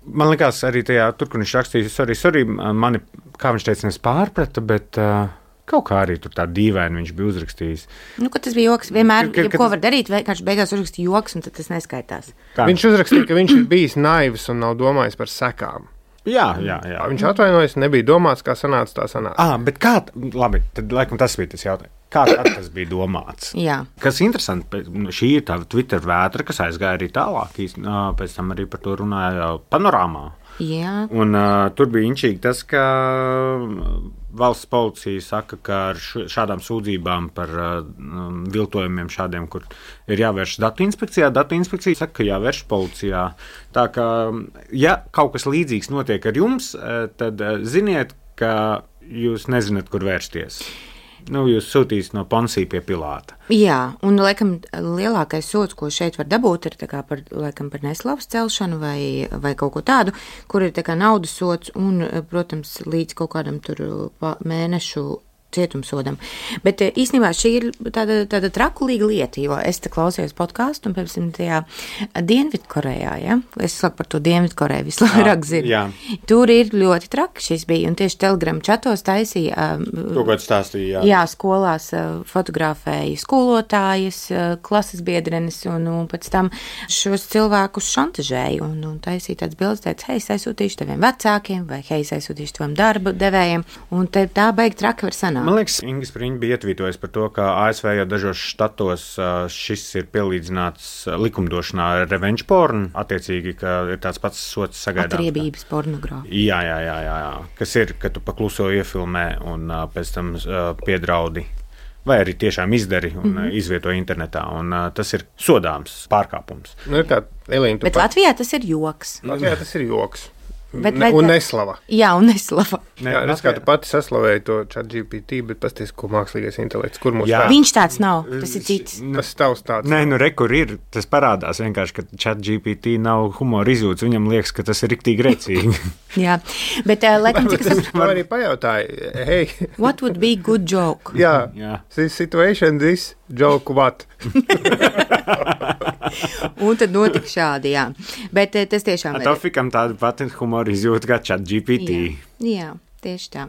Speaker 3: Man liekas arī tajā, tur, kur viņš rakstījis, sorry, sorry, mani, kā viņš teica, nes pārprata, bet... Uh, Kaut kā arī tur tā dīvaini viņš bija uzrakstījis.
Speaker 2: Nu, ka tas bija joks. Vienmēr, ka, ka, ja ko var darīt, vienkārši beigās uzrakstīja joks, un tad tas neskaitās.
Speaker 3: Kā?
Speaker 1: Viņš uzrakstīja, ka viņš ir bijis naivs un nav domājis par sekām.
Speaker 3: Jā, jā, jā.
Speaker 1: Viņš atvainojas, nebija domāts, kā sanāca, tā sanāca.
Speaker 3: Ah, bet kā, labi, tad laikam tas bija tas jautājums. Kā tas bija domāts?
Speaker 2: Jā.
Speaker 3: Kas interesanti, šī ir tā Twitter vētra, kas aizgāja arī tālāk. Pēc tam arī par to runāja Panorāmā.
Speaker 2: Jā.
Speaker 3: Un uh, tur bija inčīgi tas, ka valsts policija saka, ka ar šādām sūdzībām par uh, viltojumiem šādiem, kur ir jāvērš datu inspekcijā, datu inspekcija saka, ka jāvērš policijā. Tā kā, ja kaut kas līdzīgs notiek ar jums, tad ziniet, ka jūs nezināt, kur vērsties. Nu, jūs sūtīs no Ponsija pie Pilāta.
Speaker 2: Jā, un laikam lielākais sots, ko šeit var dabūt, ir tā kā par, laikam, par neslavas celšanu vai, vai kaut ko tādu, kur ir tā kā naudas sots un, protams, līdz kaut kādam tur mēnešu cietumsodam. Bet īstenībā šī ir tāda, tāda trakulīga lieta, jo es te klausījos podkāstu un, piemēram, tajā Dienvidkorejā, ja? Es saku par to Dienvidkoreju vislabāk zinu.
Speaker 3: Jā.
Speaker 2: Tur ir ļoti traki šis bija, un tieši Telegram čatos taisīja.
Speaker 3: To, ko stāstīja, jā.
Speaker 2: Jā, skolās fotografēja skolotājas, klases biedrenes, un, un pēc tam šos cilvēkus šantažēja, un, un taisīja tāds bildes, teica, hei, es aizsūtīšu taviem vecākiem, vai hei, es aizsūtīšu tavam darba devējiem, un te, tā beig traki var sanākt.
Speaker 3: Man liekas, Inga Spriņģa bija ietvītojusi par to, ka A S V jau dažos štatos šis ir pielīdzināts likumdošanā revenge porn, attiecīgi, ka ir tāds pats sots sagaidāms.
Speaker 2: Atriebības pornogrāfija.
Speaker 3: Jā, jā, jā, jā, jā. Kas ir, ka tu pakluso iefilmē un pēc tam piedraudi. Vai arī tiešām izdari un mm-hmm. izvieto internetā, un uh, tas ir sodāms pārkāpums.
Speaker 1: Nu, kā, Elīna,
Speaker 2: Bet
Speaker 1: pat...
Speaker 2: Latvijā tas ir joks.
Speaker 1: Latvijā tas ir joks.
Speaker 2: Bet,
Speaker 1: ne,
Speaker 2: bet,
Speaker 1: un neslava.
Speaker 2: Jā, un neslava.
Speaker 3: Ne,
Speaker 1: Jā, redz, kā tu pati saslavēji to ChatGPT, bet pasties, ko mākslīgais intelekts, kur mūs vēr?
Speaker 2: Viņš tāds nav, tas ir cits.
Speaker 1: Tas tavs tāds.
Speaker 3: Nē, nu re, kur ir, tas parādās vienkārši, ka ChatGPT nav humora izjūts, viņam liekas, ka tas ir riktīgi rēcīgi.
Speaker 2: Jā, bet, uh, laikam, cik
Speaker 1: tas... Man arī pajautāja, hei.
Speaker 2: What would be good joke?
Speaker 1: Jā,
Speaker 3: Jā.
Speaker 1: This situation, this joke what?
Speaker 2: Un tad notika šādi, jā. Bet tas tiešām ir.
Speaker 3: Tofikam tāda pati humora izjūta kā ChatGPT.
Speaker 2: Jā, jā, tieši tā.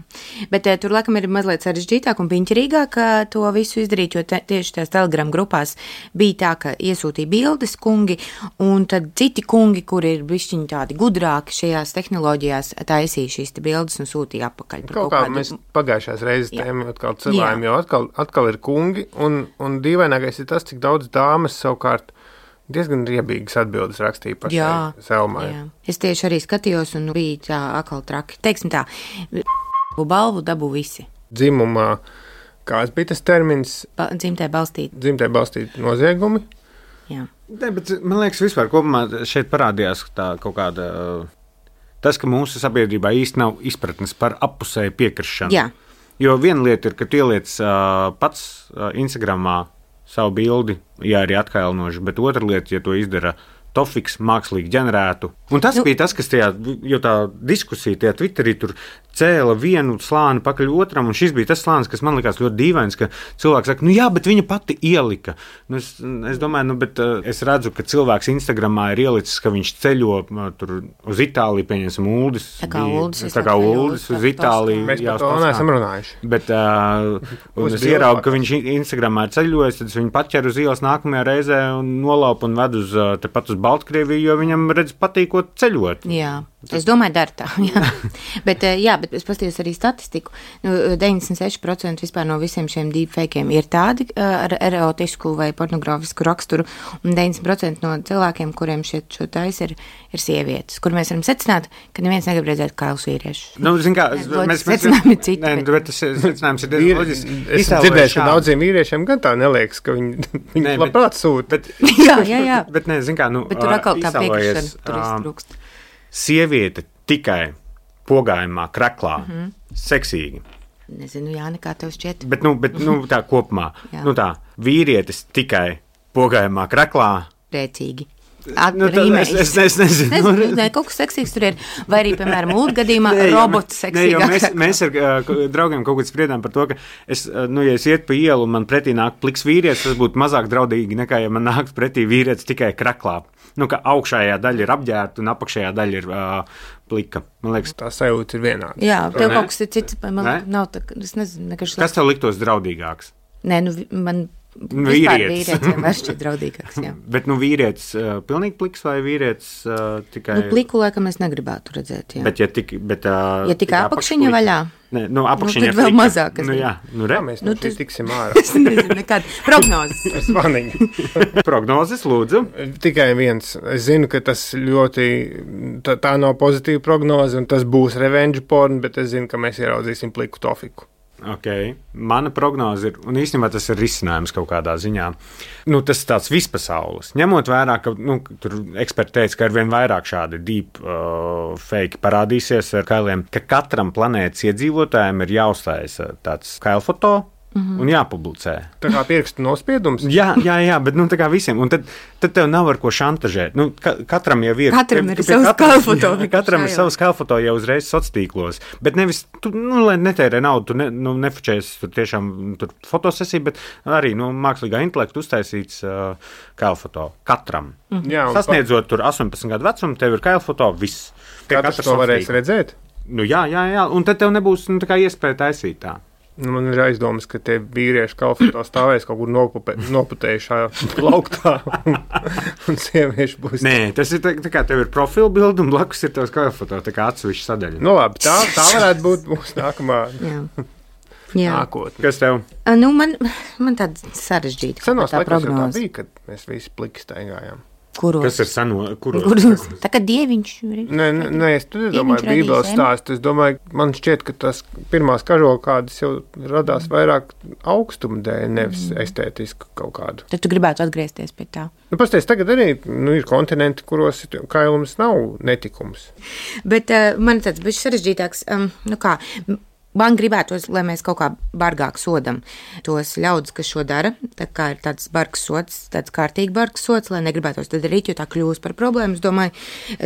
Speaker 2: Bet tur, laikam, ir mazliet sarežģītāk un piņķirīgāk to visu izdarīt, jo te, tieši tās Telegram grupās bija tā, ka iesūtīja bildes kungi, un tad citi kungi, kuri ir bišķiņi tādi gudrāki šajās tehnoloģijās, taisīja šīs te bildes un sūtīja apakaļ.
Speaker 1: Kaut, kaut kā kādu... mēs pagājušās reizes tēmu atkal cilvēm,
Speaker 2: jā.
Speaker 1: jo atkal, atkal ir kungi, un, un dīvainākais ir tas, cik daudz dāmas savukārt diezgan riebīgas atbildes rakstīja pašai Selmai.
Speaker 2: Jā. Es tieši arī skatījos un bija tā akal traki. Teiksim tā, balvu dabū visi.
Speaker 1: Dzimumā, kāds bija tas termins?
Speaker 2: Ba- dzimtē balstīt.
Speaker 1: Dzimtē balstīt noziegumi.
Speaker 2: Jā.
Speaker 3: Ne, bet man liekas, vispār kopumā šeit parādījās tā kaut kāda, tas, ka mūsu sabiedrībā īsti nav izpratnes par appusēju piekrišanu.
Speaker 2: Jā.
Speaker 1: Jo
Speaker 3: viena lieta ir, ka tu ieliec uh, pats uh, Instagramā savu bildi, ja arī atkailnoši, bet otra lieta, ja to izdara Tofiks mākslīgi ģenerētu. Un tas nu, bija tas, kas tajā, jo tā diskusija tajā Twitterī tur cēla vienu slāni pakaļ otram, un šis bija tas slānis, kas man likās ļoti dīvains, ka cilvēks saka, nu jā, bet viņa pati ielika. Nu, es, es domāju, nu, bet uh, es redzu, ka cilvēks Instagramā ir ielicis, ka viņš ceļo uh, tur uz Itāliju, pieņemsim Uldis.
Speaker 2: Tā kā Uldis.
Speaker 3: Tā kā Uldis uz Itāliju.
Speaker 1: Mēs par to neesam runājuši.
Speaker 3: Bet, uh, un es ieraugu, ka viņš Instagramā ir ceļojis, tad es viņu paķeru uz ielas nākamajā reizē un nolaupu un vedu uz, uh, tepat uz Baltkrieviju, jo viņam, redz, patīkot ceļot.
Speaker 2: Jā, es domāju, dar tā. Jā. bet, jā, bet es paskatījos arī statistiku. Nu, deviņdesmit seši procenti vispār no visiem šiem deepfakiem ir tādi ar erotisku vai pornogrāfisku raksturu, un deviņdesmit procenti no cilvēkiem, kuriem šie šo tais ir, ir sievietes, kur mēs varam secināt, ka neviens negrib redzēt kailus vīriešus.
Speaker 3: Nu, zin kā,
Speaker 2: mēs, secinājumi ir citi.
Speaker 3: Nē, bet tas secinājums ir diezgan loģisks.
Speaker 1: Es dzirdēju, ka daudziem vīriešiem gan tā neliekas, ka viņi, viņi nē, labprāt sūta.
Speaker 3: Bet,
Speaker 2: jā, jā, jā.
Speaker 3: Bet, nē, zin kā, nu,
Speaker 2: bet tur atkal tā piekrišana, tur iztrūkst.
Speaker 3: Sieviete tikai pogājumā, kreklā, mm-hmm. seksīgi.
Speaker 2: Nezinu, jā, nekā tev šķiet.
Speaker 3: Bet, nu, bet, nu tā kopumā, nu tā, vīrietis tikai pogājumā kreklā.
Speaker 2: Priecīgi.
Speaker 3: Nu, es, es, es nezinu.
Speaker 2: nezinu ne, kaut kas seksīgs tur ir. Vai arī, piemēram, mūsu gadījumā robots seksīgāks.
Speaker 3: Mēs, mēs ar uh, draugiem kaut kad spriedām par to, ka es, uh, nu, ja es iet pa ielu un man pretī nāk pliks vīrietis, tas būtu mazāk draudīgi nekā, ja man nāk pretī vīrietis tikai kreklā. Nu, ka augšējā daļa ir apģērta un apakšējā daļa ir uh, plika. Man liekas,
Speaker 1: tā sajūta ir vienāda.
Speaker 2: Jā, tev kaut kas ir cits, man ne? nav tā, es nezinu, nekas.
Speaker 3: Kas tev liktos draudīgāks?
Speaker 2: Nē, nu, man...
Speaker 3: Vīrietis.
Speaker 2: Vīrietis vienmēr šķiet draudīgāks, jā.
Speaker 3: Bet, nu, vīrietis uh, pilnīgi pliks vai vīrietis uh, tikai...
Speaker 2: Nu, pliku laikam es negribētu redzēt, jā.
Speaker 3: Bet, ja tik... Bet, uh,
Speaker 2: ja tikai apakšiņa vaļā?
Speaker 3: Nē, nu, apakšiņa
Speaker 2: nu, tad vēl mazāk.
Speaker 3: Nu, jā, nu, re.
Speaker 1: Jā, mēs nu, tas... tiksim ārā.
Speaker 2: Es nezinu nekādu. Prognozes.
Speaker 1: Svanīgi.
Speaker 3: Prognozes, lūdzu.
Speaker 1: Tikai viens. Es zinu, ka tas ļoti... Tā, tā nav pozitīva prognoze, un tas būs revenge porn, bet es zinu, ka mēs ieraudzīsim pliku tofiku.
Speaker 3: Okay. Mana prognoze ir, un īstenībā tas ir risinājums kaut kādā ziņā. Nu, tas ir tāds vispasaules. Ņemot vērā, ka nu, tur eksperti teica, ka ar vien vairāk šādi deep uh, fake parādīsies ar kailiem, ka katram planētas iedzīvotājiem ir jāuzstājas tāds kailfoto. Mm-hmm. Un jāpublicē.
Speaker 1: Tā kā pirkstu nospiedums?
Speaker 3: jā, jā, jā, bet nu, tā kā visiem. Un tad, tad tev nav ar ko šantažēt. Nu, ka, katram jau ir.
Speaker 2: Katram ir savs kailfoto.
Speaker 3: Katram ir savs kailfoto jau uzreiz sociālos. Bet nevis, tu, nu, lai netērē naudu, tu ne, nu, nefučēs tur tiešām tur fotosesiju, bet arī nu, mākslīgā intelekta uztaisīts uh, kailfoto. Katram. Mm-hmm. Jā, sasniedzot tur astoņpadsmit gadu vecumu, tev ir kailfoto, viss.
Speaker 1: Katrs to varēs redzēt?
Speaker 3: Nu, jā, jā, jā. Un tad tev nebūs nu, tā kā iespēja taisīt tā.
Speaker 1: Nu, man ir aizdomas, ka tie vīrieši kalfoto stāvēs kaut kur nopupē, noputējušā plauktā, un, un sievieši būs...
Speaker 3: Nē, tas ir tā, tā kā tev ir profila bilde, un blakus ir tavs kalfoto, tā kā atsevišķa sadaļa.
Speaker 1: Nu labi, tā, tā varētu būt mūsu nākamā nākotne.
Speaker 3: Kas tev?
Speaker 2: Nu, man, man tāda sarežģīta.
Speaker 1: Senos laikos jau tā bija, kad mēs visi pliki staigājām.
Speaker 2: Kuros?
Speaker 3: Kas ir seno? Kuros?
Speaker 2: Kuros? Tā kā dieviņš.
Speaker 1: Nē, nē, es tur domāju, Bībeles stāstu. Es domāju, man šķiet, ka tas pirmās kažokādas jau radās vairāk augstuma dēļ, nevis mm. estētisku kaut kādu.
Speaker 2: Tad tu gribētu atgriezties pie tā.
Speaker 1: Nu, pasties, tagad arī nu, ir kontinenti, kuros kailums nav netikums.
Speaker 2: Bet uh, man tāds bišķi sarežģītāks, um, nu kā... Man gribētos, lai mēs kaut kā bargāk sodam tos ļaudis, kas šo dara. Tā kā ir tāds bargs sots, tāds kārtīgi bargs sots, lai negribētos tad darīt, jo tā kļūst par problēmu, es domāju,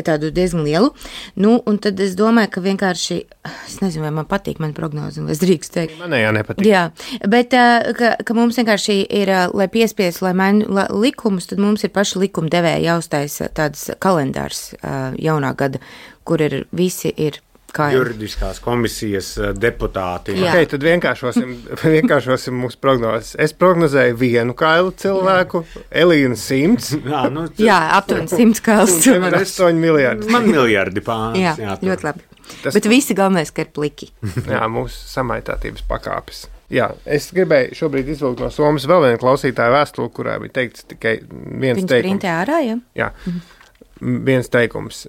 Speaker 2: tādu diezgan lielu. Nu, un tad es domāju, ka vienkārši, es nezinu, vai man patīk man prognozi, vai es drīkst teikt.
Speaker 1: Man jā, nepatīk.
Speaker 2: Jā, bet ka, ka mums vienkārši ir, lai piespies, lai maina likumus, tad mums ir paši likumdevēji jāuztais tāds kalendārs jaunā gada, kur ir visi ir Kā
Speaker 3: juridiskās komisijas deputāti.
Speaker 1: Jā, okay, tad vienkāršosim, vienkāršosim mūsu prognozes. Es prognozēju vienu kailu cilvēku, Elīna simts.
Speaker 3: Jā, nu, tas...
Speaker 2: jā aptuveni simts kails cilvēku.
Speaker 1: astoņi miljardi.
Speaker 3: Man miljardi pāris.
Speaker 2: Jā, jā ļoti labi. Tas... Bet visi galvenais, ka ir pliki.
Speaker 1: Jā, mūsu samaitātības pakāpes. Jā, es gribēju šobrīd izvilkt no Somas vēl vienu klausītāju vēstuli, kurā bija teikts tikai viens
Speaker 2: Viņš
Speaker 1: teikums.
Speaker 2: Viņš printē ārā, jā?
Speaker 1: Jā. Mhm. Viens teikums.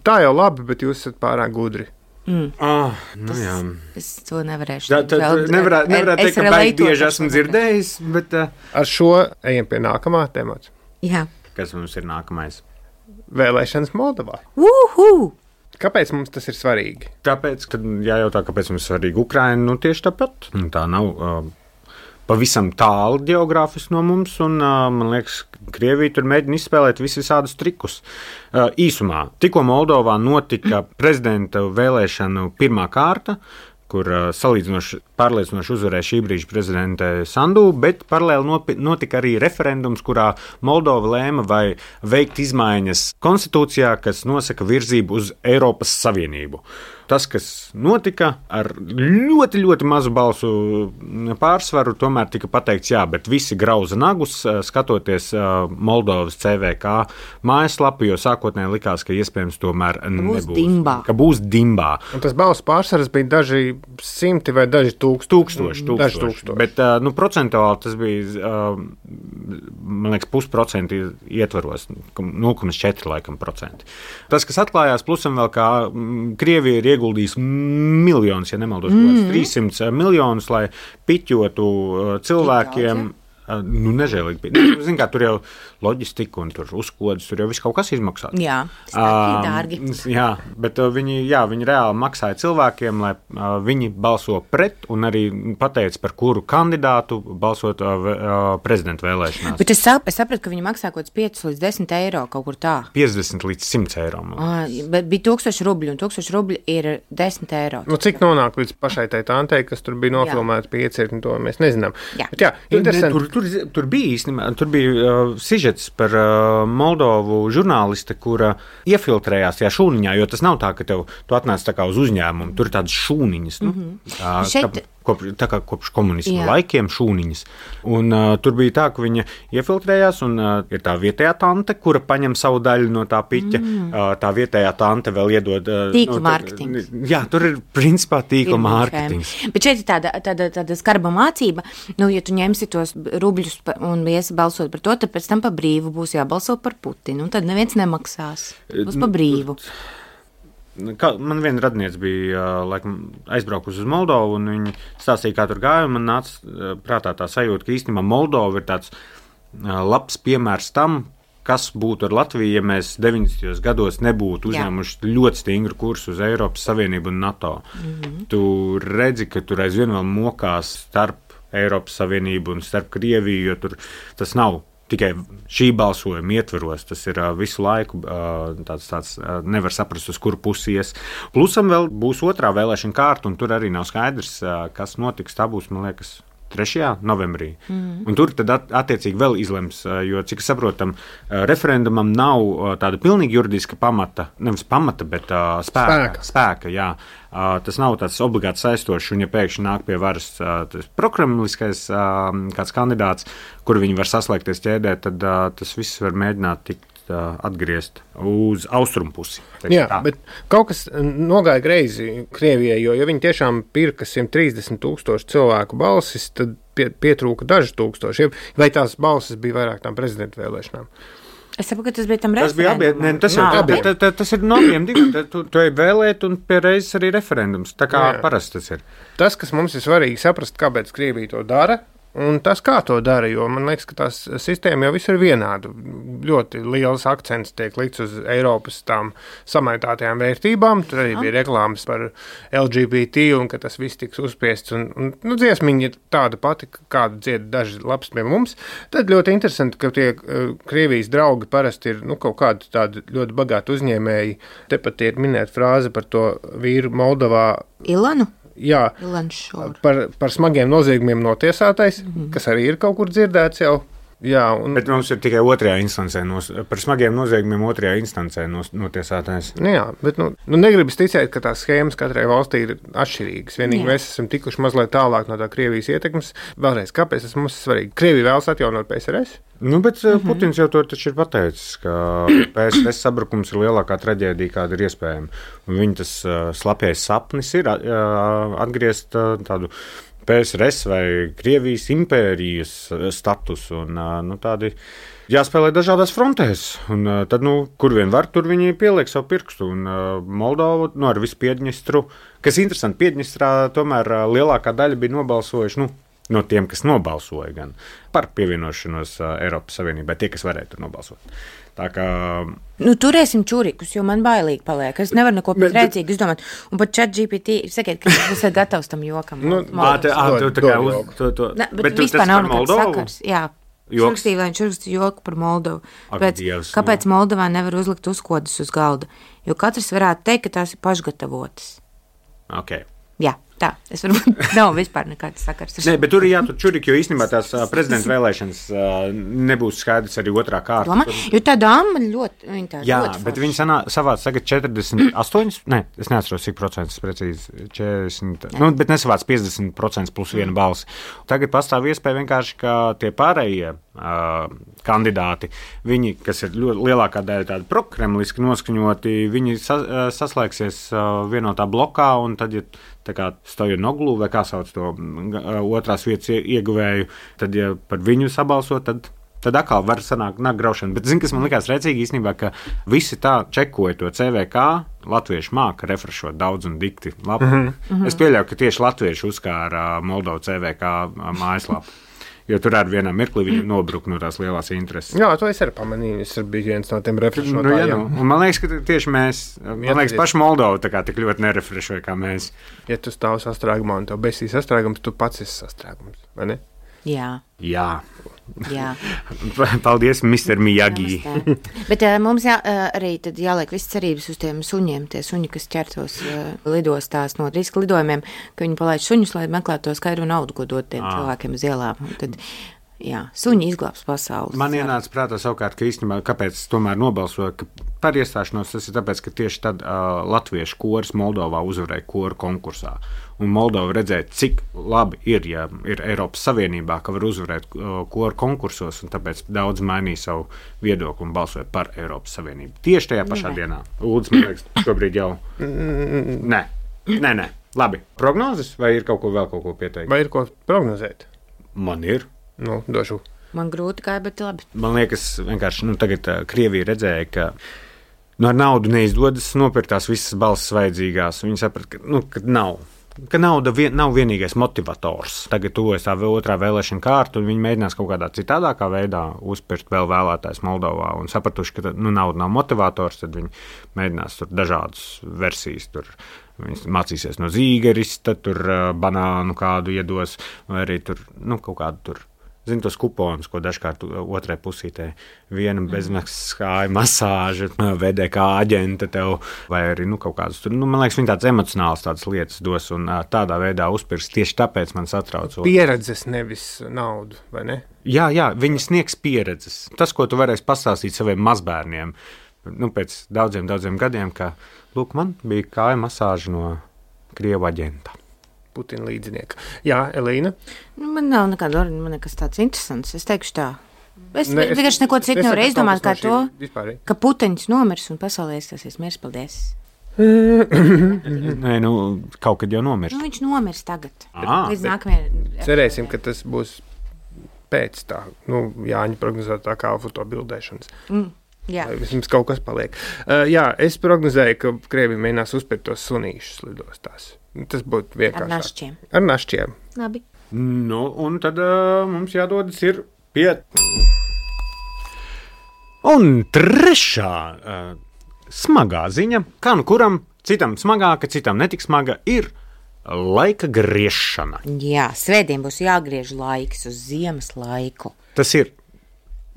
Speaker 1: Tā jau labi, bet jūs esat pārāk gudri.
Speaker 2: Mm.
Speaker 3: Oh, nu
Speaker 2: Tas,
Speaker 3: jā.
Speaker 2: Es to nevarēšu.
Speaker 3: Tā, tā, tā nevarētu nevarēt teikt, ka baigi bieži esmu dzirdējis, bet... Uh...
Speaker 1: Ar šo ejam pie nākamā temata.
Speaker 2: Jā.
Speaker 3: Kas mums ir nākamais?
Speaker 1: Vēlēšanas Moldovā.
Speaker 2: Uhu!
Speaker 1: Kāpēc mums tas ir svarīgi?
Speaker 3: Tāpēc, kad jājautā, kāpēc mums ir svarīgi Ukraina, nu tieši tāpat. Tā nav... Uh... pavisam tālu geogrāfiski no mums, un, uh, man liekas, Krievija tur mēģina izspēlēt visus visādus trikus. Uh, īsumā, tikko Moldovā notika prezidenta vēlēšanu pirmā kārta, kur uh, salīdzinoši pārliecinoši uzvarēja šī brīža prezidente Sandu, bet paralēli notika arī referendums, kurā Moldova lēma vai veikt izmaiņas konstitūcijā, kas nosaka virzību uz Eiropas Savienību. Tas, kas notika ar ļoti, ļoti mazu balsu pārsvaru, tomēr tika pateikts, jā, bet visi grauza nagus, skatoties Moldovas C V K mājaslapu, jo sākotnēji likās, ka iespējams tomēr nebūs.
Speaker 2: Dimbā.
Speaker 3: Ka būs dimbā.
Speaker 1: Un tas balsu pārsvars bija daži simti vai daži tūkstoši.
Speaker 3: Tūkstoši, tūkstoši. tūkstoši. Bet, nu, procentuāli tas bija, man liekas, pusprocenti ietvaros, nulle komats četri laikam procenti. Tas, kas atklājās, plusam vēl kā Krievija ir ieguldījis miljonus, ja nemaldos, mm-hmm. trīssimts miljonus, lai piķotu cilvēkiem nu, nežēlīgi. Zin kā, tur jau loģistika un tur uzkodas, tur jau viss kaut kas izmaksā.
Speaker 2: Jā, uh, dārgi.
Speaker 3: Jā, bet uh, viņi, jā, viņi reāli maksāja cilvēkiem, lai uh, viņi balso pret un arī pateica, par kuru kandidātu balsot uh, uh, prezidenta vēlēšanās.
Speaker 2: Bet es, sap, es sapratu, ka viņi maksā kaut kāds pieci līdz desmit eiro kaut kur tā.
Speaker 3: piecdesmit līdz simt eiro.
Speaker 2: Ah, bet bija tūkstoši rubļu, un tūkstoši rubļu ir desmit eiro.
Speaker 1: Nu, cik nonāk līdz pašai tai tantei, kas tur bija nofilmēta pie iecirkņu, to mēs nezinām.
Speaker 2: Jā.
Speaker 1: Bet jā, interesanti.
Speaker 3: Tur, tur, tur bija īstenībā, tur bija uh, sižets par uh, Moldovu žurnāliste, kura iefiltrējās tajā šūniņā, jo tas nav tā, ka tev, tu atnāc tā kā uz uzņēmumu, tur ir tādas šūniņas, nu, mm-hmm. uh,
Speaker 2: Šeit...
Speaker 3: tā, kop, tā kā kopš komunisma
Speaker 2: Jā.
Speaker 3: laikiem šūniņas. Un uh, tur bija tā, ka viņa iefiltrējās, un uh, ir tā vietējā tante, kura paņem savu daļu no tā piķa, mm. uh, tā vietējā tante vēl iedod... Uh,
Speaker 2: tīkla
Speaker 3: no,
Speaker 2: mārketings.
Speaker 3: Jā, tur ir principā tīkla mārketings.
Speaker 2: Bet šeit ir tāda, tāda, tāda skarba mācība, nu, ja tu ņemsi tos rubļus un iesi balsot par to, tad pēc tam pa brīvu būs jābalso par Putinu, un tad neviens nemaksās. Būs pa brīvu.
Speaker 3: Kā, man viena radniece bija laikam, aizbraukusi uz Moldovu, un viņi stāstīja, kā tur gāja, un man nāca prātā tā sajūta, ka īstenībā Moldova ir tāds labs piemērs tam, kas būtu ar Latviju, ja mēs deviņdesmitajos gados nebūtu uzņēmuši Jā. ļoti stingru kursu uz Eiropas Savienību un NATO. Mm-hmm. Tu redzi, ka tur aizvien vēl mokās starp Eiropas Savienību un starp Krieviju, jo tur tas nav tikai šī balsojuma ietveros, tas ir uh, visu laiku uh, tāds, tāds uh, nevar saprast, uz kuru pusi ies. Plusam vēl būs otrā vēlēšana kārta, un tur arī nav skaidrs, uh, kas notiks. Tā būs, man liekas, trešajā novembrī. Mm. Un tur tad at, attiecīgi vēl izlems, uh, jo, cik saprotam, uh, referendumam nav uh, tāda pilnīgi juridiska pamata, nevis pamata, bet uh, spēka.
Speaker 1: Spēka.
Speaker 3: spēka jā. Uh, tas nav tāds obligāti saistošs, un ja pēkšņi nāk pie varas uh, prokremliskais uh, kāds kandidāts, kur viņi var saslēgties ķēdē, tad uh, tas viss var mēģināt tikt uh, atgriezt uz austrumu pusi.
Speaker 1: Jā, tā. Bet kaut kas nogāja greizi Krievijai, jo ja viņi tiešām pirka simt trīsdesmit tūkstoši cilvēku balsis, tad pie, pietrūka daži tūkstoši. Vai tās balsis bija vairāk tām prezidenta vēlēšanām?
Speaker 2: Es saprotu, ka tas bija tam
Speaker 3: tas
Speaker 2: referendumam.
Speaker 3: Bija abi, ne, tas, ir,
Speaker 1: abiem.
Speaker 3: tā, tā, tas ir no abiem diviem. Tu, tu ej vēlēt un pie reizes arī referendums. Tā kā Jā. parasti tas ir.
Speaker 1: Tas, kas mums ir svarīgi saprast, kāpēc Krievija to dara, un tas, kā to dara, jo man liekas, ka tās sistēma jau visur ir vienāda. Ļoti liels akcents tiek likts uz Eiropas tām samaitātajām vērtībām. Tur arī bija reklāmas par L G B T un ka tas viss tiks uzspiests. Un, un, nu, dziesmiņa ir tāda pati, kādu dzied daži labs pie mums. Tad ļoti interesanti, ka tie uh, Krievijas draugi parasti ir nu, kaut kādi tādi ļoti bagāti uzņēmēji. Tepat ir minēta frāze par to vīru Moldovā.
Speaker 2: Ilanu?
Speaker 1: Jā, par, par smagiem noziegumiem notiesātais, mm-hmm. kas arī ir kaut kur dzirdēts jau. Jā, un...
Speaker 3: Bet mums ir tikai otrajā instancē, nos, par smagiem noziegumiem otrajā instancē nos, notiesātais.
Speaker 1: Nu jā, bet nu, nu negribas ticēt, ka tās schēmas katrai valstī ir atšķirīgas. Vienīgi jā. Mēs esam tikuši mazliet tālāk no tā Krievijas ietekmes. Vēlreiz, kāpēc tas mums ir svarīgi? Krievija vēlas atjaunot P S R S?
Speaker 3: Nu, bet mm-hmm. Putins jau to taču ir pateicis, ka P S R S sabrukums ir lielākā traģēdija, kāda ir iespējama. Un viņa tas uh, slapjais sapnis ir uh, atgriezt uh, tādu P S R S vai Krievijas impērijas status un nu, tādi jāspēlē dažādās frontēs. Un tad, nu, kur vien var, tur viņi pieliek savu pirkstu. Un Moldovu, nu, ar visu Piedņestru, kas interesanti, Piedņestrā tomēr lielākā daļa bija nobalsojuši, nu, no tiem, kas nobalsoja gan par pievienošanos Eiropas Savienībai, tie, kas varēja tur nobalsot. Tā kā...
Speaker 2: Nu, turēsim čurikus, jo man bailīgi paliek. Es nevaru neko pat rēcīgi izdomāt. Un pat chat G P T, sakiet, ka jūs esat gatavs tam jokam.
Speaker 1: Nu,
Speaker 3: ā, te, ā, tu tā kā uz... To, to.
Speaker 2: Ne, bet, bet vispār nav nekāds sakars. Jā, šurkstīja, lai viņš šurkstīja joku par Moldovu. Pēc, Dievs, kāpēc no. Moldovā nevar uzlikt uzkodas uz galda? Jo katrs varētu teikt, ka tās ir pašgatavotas.
Speaker 3: Ok.
Speaker 2: Jā. Tā, es varbūt nav vispār nekāds sakars.
Speaker 3: Nē, bet tur ir jātur čuriki, jo īstenībā tās uh, prezidenta vēlēšanas uh, nebūs skaidrs arī otrā kārta.
Speaker 2: Domā, jo tā dāma ļoti, viņa tā
Speaker 3: jā,
Speaker 2: ļoti
Speaker 3: bet
Speaker 2: forši.
Speaker 3: Viņa sanā, savāc tagad četrdesmit astoņi, ne, es neatceros, cik procents precīzi, četrdesmit, ne. Nu, bet nesavāc piecdesmit procenti plus viena balsi. Tagad pastāv iespēja vienkārši, ka tie pārējie uh, kandidāti, viņi, kas ir ļoti lielākā daļa tādi prokremliski noskaņoti, viņi sa, uh, saslēgsies uh, vienotā blokā, un tad, ja tā kā Stojanoglu, vai kā sauc to otrās vietas ieguvēju, tad, ja par viņu sabalso, tad, tad atkal var sanākt nāk graušana. Bet, zini, kas man likās rēcīgi īstenībā, ka visi tā čekoja to C V K, latvieši māka refrešot daudz un dikti labi. Mm-hmm. Es pieļauju, ka tieši latvieši uzkāra Moldovu C V K mājaslapu. Jo tur ar vienā mirklī viņam nobruk no tās lielās intereses.
Speaker 1: Jā, to es arī pamanīju. Es biju viens no tiem refrešotājiem.
Speaker 3: Nu, jā, nu. Un man liekas, ka tieši mēs, man liekas, paši Moldova tā kā tik ļoti nerefrešoja kā mēs.
Speaker 1: Ja tu stāv sastrēgumā un tev besīs sastrēgums, tu pats esi sastrēgums, vai ne?
Speaker 2: Jā.
Speaker 3: Jā.
Speaker 2: Jā.
Speaker 3: Paldies, mister Miyagi.
Speaker 2: Bet uh, mums jā, uh, arī tad jāliek viss cerības uz tiem suņiem, tie suņi, kas ķertos uh, lidostās no riska lidojumiem, ka viņi palaid suņus, lai meklētu to skaidro naudu, ko dot tiem à. cilvēkiem uz ielām. Un tad, jā, suņi izglābs pasaules.
Speaker 3: Man ienāca prātā savukārt, ka īstenībā, kāpēc tomēr nobalsoja, ka par iestāšanos tas ir tāpēc, ka tieši tad uh, latviešu koris Moldovā uzvarēja koru konkursā. Un Moldova redzēja, cik labi ir, ja ir Eiropas Savienībā, ka var uzvarēt uh, koru konkursos, un tāpēc daudz mainīja savu viedokli un balsoja par Eiropas Savienību. Tieši tajā pašā Jā. dienā. Lūdzu, man liekas, šobrīd jau... Nē, nē, nē. Labi. Prognozes vai ir kaut ko vēl kaut ko pieteikt?
Speaker 1: Vai ir ko prognozēt?
Speaker 3: Man ir.
Speaker 1: Nu, došu.
Speaker 2: Man grūti kā, bet labi.
Speaker 3: Man liekas, vienkārši, nu, tagad uh, Krievija redzēja, ka nu, ar naudu neizdodas nopirkt tās visas balsis vajadzīgās. Viņi saprat, ka, nu, ka nav. Ka nauda vien, nav vienīgais motivators. Tagad tuvojas tā otrā vēlēšana kārta, un viņi mēģinās kaut kādā citādākā veidā uzpirkt vēl vēlētājs Moldovā. Un sapratuši, ka nu, nauda nav motivators, tad viņi mēģinās tur dažādas versijas. Tur viņi mācīsies no zīgerista, tur banānu kādu iedos, vai arī tur nu, kaut kādu tur. Zinu tos kuponus, ko dažkārt otrai pusītē viena bezmaksas kāja masāža, vedē kā aģenta tev, vai arī nu, kaut kādas tur, nu, man liekas, viņi tādas emocionālas tādas lietas dos un tādā veidā uzpirks. Tieši tāpēc man satrauc.
Speaker 1: Pieredzes, nevis naudu, vai ne?
Speaker 3: Jā, jā, viņi sniegs pieredzes. Tas, ko tu varēsi pastāstīt saviem mazbērniem, nu, pēc daudziem, daudziem gadiem, ka, lūk, man bija kāja masāža no Krievu aģenta.
Speaker 1: Putina līdzinieka. Jā, Elīna?
Speaker 2: Nu, man nav nekāda, man nekas tāds interesants. Es teikšu tā. Es ne, vienkārši neko citu nevaru izdomāt kā to, vispārīgi. Ka Putiņš nomirs un pasaulē iestāsies miers. Paldies.
Speaker 3: Nē, nu, kaut kad jau nomirs.
Speaker 2: Nu, viņš nomirs tagad.
Speaker 3: À,
Speaker 2: līdz nākamajai.
Speaker 1: Cerēsim, ka tas būs pēc tā, nu, Jāņa prognozētā kā fotobildēšanas.
Speaker 2: Mm. Jā.
Speaker 1: Vai vismaz kaut kas paliek. Uh, jā, es prognozēju, ka Krievija mēģinās uzpirkt tos sunīšus lidostās. Tas būtu vienkārši.
Speaker 2: Ar našķiem.
Speaker 1: Ar našķiem.
Speaker 2: Labi.
Speaker 3: Nu, un tad uh, mums jādodas ir pie... Un trešā uh, smagā ziņa, kā nu kuram, citam smagāka, citam netik smaga, ir laika griešana.
Speaker 2: Jā, svētdien būs jāgriež laiks uz ziemas laiku.
Speaker 3: Tas ir.